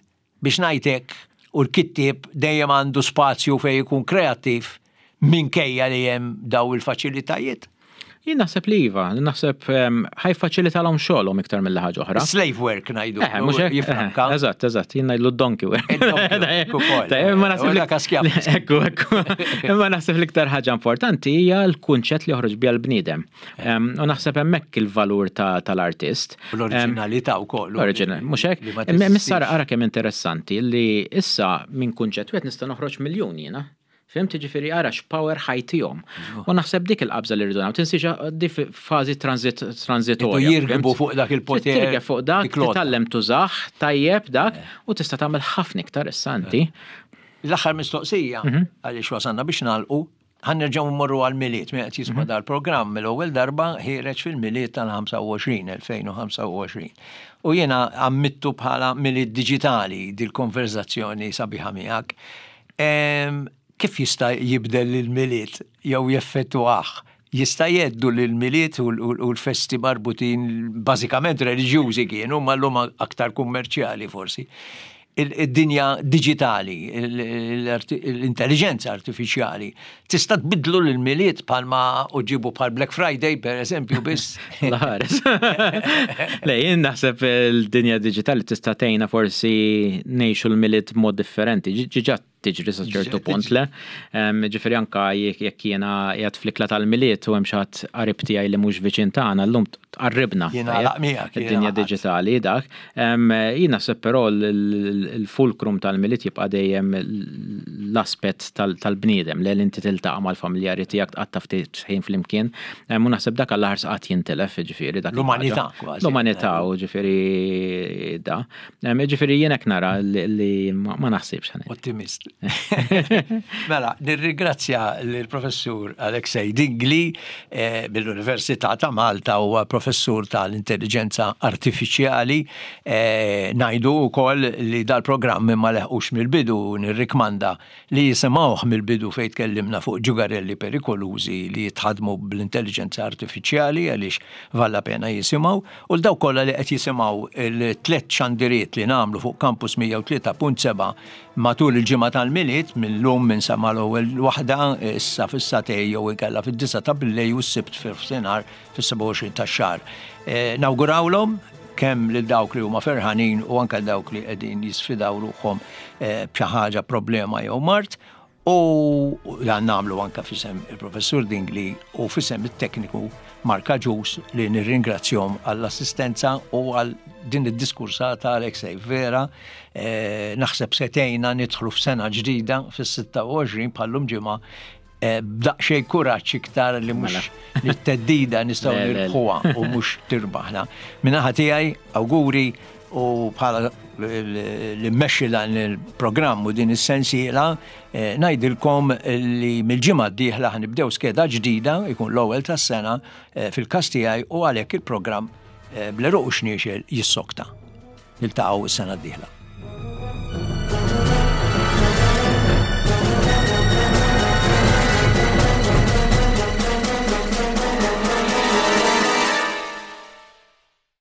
biex ngħidlek, u l-kittieb dejjem għandu spazju fejn jkun kreattiv minkejja li hemm daw il-faċilitajiet? Jien naħseb li iva, naħseb ħa jiffaċilitalhom xogħolhom iktar mill ħaġa oħra. Slave work ngħidu. Eh, mhux hekk, jifranka. eh, Eżatt, eżatt, jien ngħidlu donkey work. Il-donkey work ukoll. Tajjeb, imma naħseb U li- dak skjav. Ekku, ekku. Imma naħseb l-iktar ħaġa importanti hija l-kunċett li joħroġ biha l-bniedem. Em, U naħseb hemmhekk il-valur ta- tal-artist. U l-oriġinalità wkoll. L-oriġinal, mhux hekk? Li ma Imma teżistix. Issa ara kemm interessanti li issa minn kunċett wieħed nista' noħroġ miljun jiena. Fhimt, ġifieri ara x'power ħa jtihom. U naħseb dik il-qabża li rridu nagħmlu. Tinsiex di fażi transit transitorja. Idu jirkbu fhimt? fuq dak il-poter, Tirkeb fuq dak, dik l-għodda. titgħallem tużah, tajjeb dak, u tista' tagħmel ħafna iktar issa inti. L-aħħar mistoqsija, Mhm. għaliex wasanna biex nagħlqu, ħa nerġgħu mmorru għal-Milied, min qed jisma' Mhm. dal-programm mill-ewwel darba ħiereġ fil-Milied tal-ħamsa u għoxrin, elfejn u ħamsa u għoxrin. U jiena għammittu bħala Milied diġitali dil-konverzazzjoni sabiħa miegħek. Em, Kif jista' jibdel il-Milied jew jeffettwah? Jista' jgħeddu l-Milied u l-festi marbutin bażikament reliġjużi kienu, ma llum aktar kummerċjali forsi, il-dinja digitali, l-intelligenza artifiċjali, tista' tbidlu l-Milied bħalma uġibu bħal Black Friday, per eżempju, biss? Laħares. Le, jien naħseb il-dinja digitali tista' tgħinna forsi ngħixu l-Milied mod differenti. Ġiġa tiġri sa ċertu punt, le. Ġifieri anka jekk jiena qiegħed fl-ikla tal-Milied u hemm xi ħadd qarib tiegħi li mhux viċin tagħna, llum tqarribna. Jiena tajjeb? miegħek, jiena Id-dinja għaqad. diġitali dak. Jien naħseb però l-fulcrum tal-Milied jibqa' dejjem l-aspett tal-bniedem, li inti tiltaqa' mal-familjari tiegħek, tqatta' ftit ħin flimkien. U naħseb dak għall-aħħar qatt jintilef, ġifieri dak. L-umanità kważi. L-umanità u ġifieri da. Ġifieri jien hekk nara li ma naħsibx ħanet. Ottimist. Mela, nirringrazzja l-professur Alexei Dingli eh, mill-Università ta' Malta, huwa professur tal-intelligenza artifiċjali. Eh, ngħidu wkoll li dal-programm ma leħqux mill-bidu, nirrikmanda li jisimgħuh mill-bidu fejn tkellimna fuq ġugarelli perikolużi li jitħadmu bl-intelligenza artifiċjali, għaliex valla pena jisimgħu, u l-daw kollha li qed jisimgħu il-tliet xandiriet li nagħmlu fuq Campus mija u tlieta punt seba' matul il-ġimgħa tal-Milied, minn lum minn sa mal-ewwel waħda issa fis-sagħtejn jew inkella fid-disgħa ta' billejl u s-Sibt fil-nofsinhar fis-sebgħa u għoxrin tax-xahar. Eh, nawgurawlhom kemm lil dawk li huma ferħanin u anke dawk li qegħdin jisfidaw ruħhom eh, b'xi ħaġa, problema jew mard, u dan nagħmlu anke f'isem il-professur Dingli u f'isem it-tekniku Mark Agius, li nirringrazzjahom għall-assistenza u għal din id-diskursata. Alexei, vera, eh, naħseb setejna nidħlu f'sena ġdida fis-sitta u għoxrin bħallum ġimgħa eh, b'daqsxejn kuraġġ iktar li mhux li t-theddida nistgħu Le, le, le. nirbħuha u mhux tirbaħna. Min-naħa tiegħi awguri, u bħala li mmexxi dan il-programm u din is-sensiela eh, ngħidilkom li mill-ġimgħa d-dieħla ħa nibdew skeda ġdida, ikun l-ewwel tas-sena eh, fil-każ tiegħi, u għalhekk il-programm eh, Bl-Għeruq u Xniexel jissokta. Niltaqgħu s-sena d-dieħla.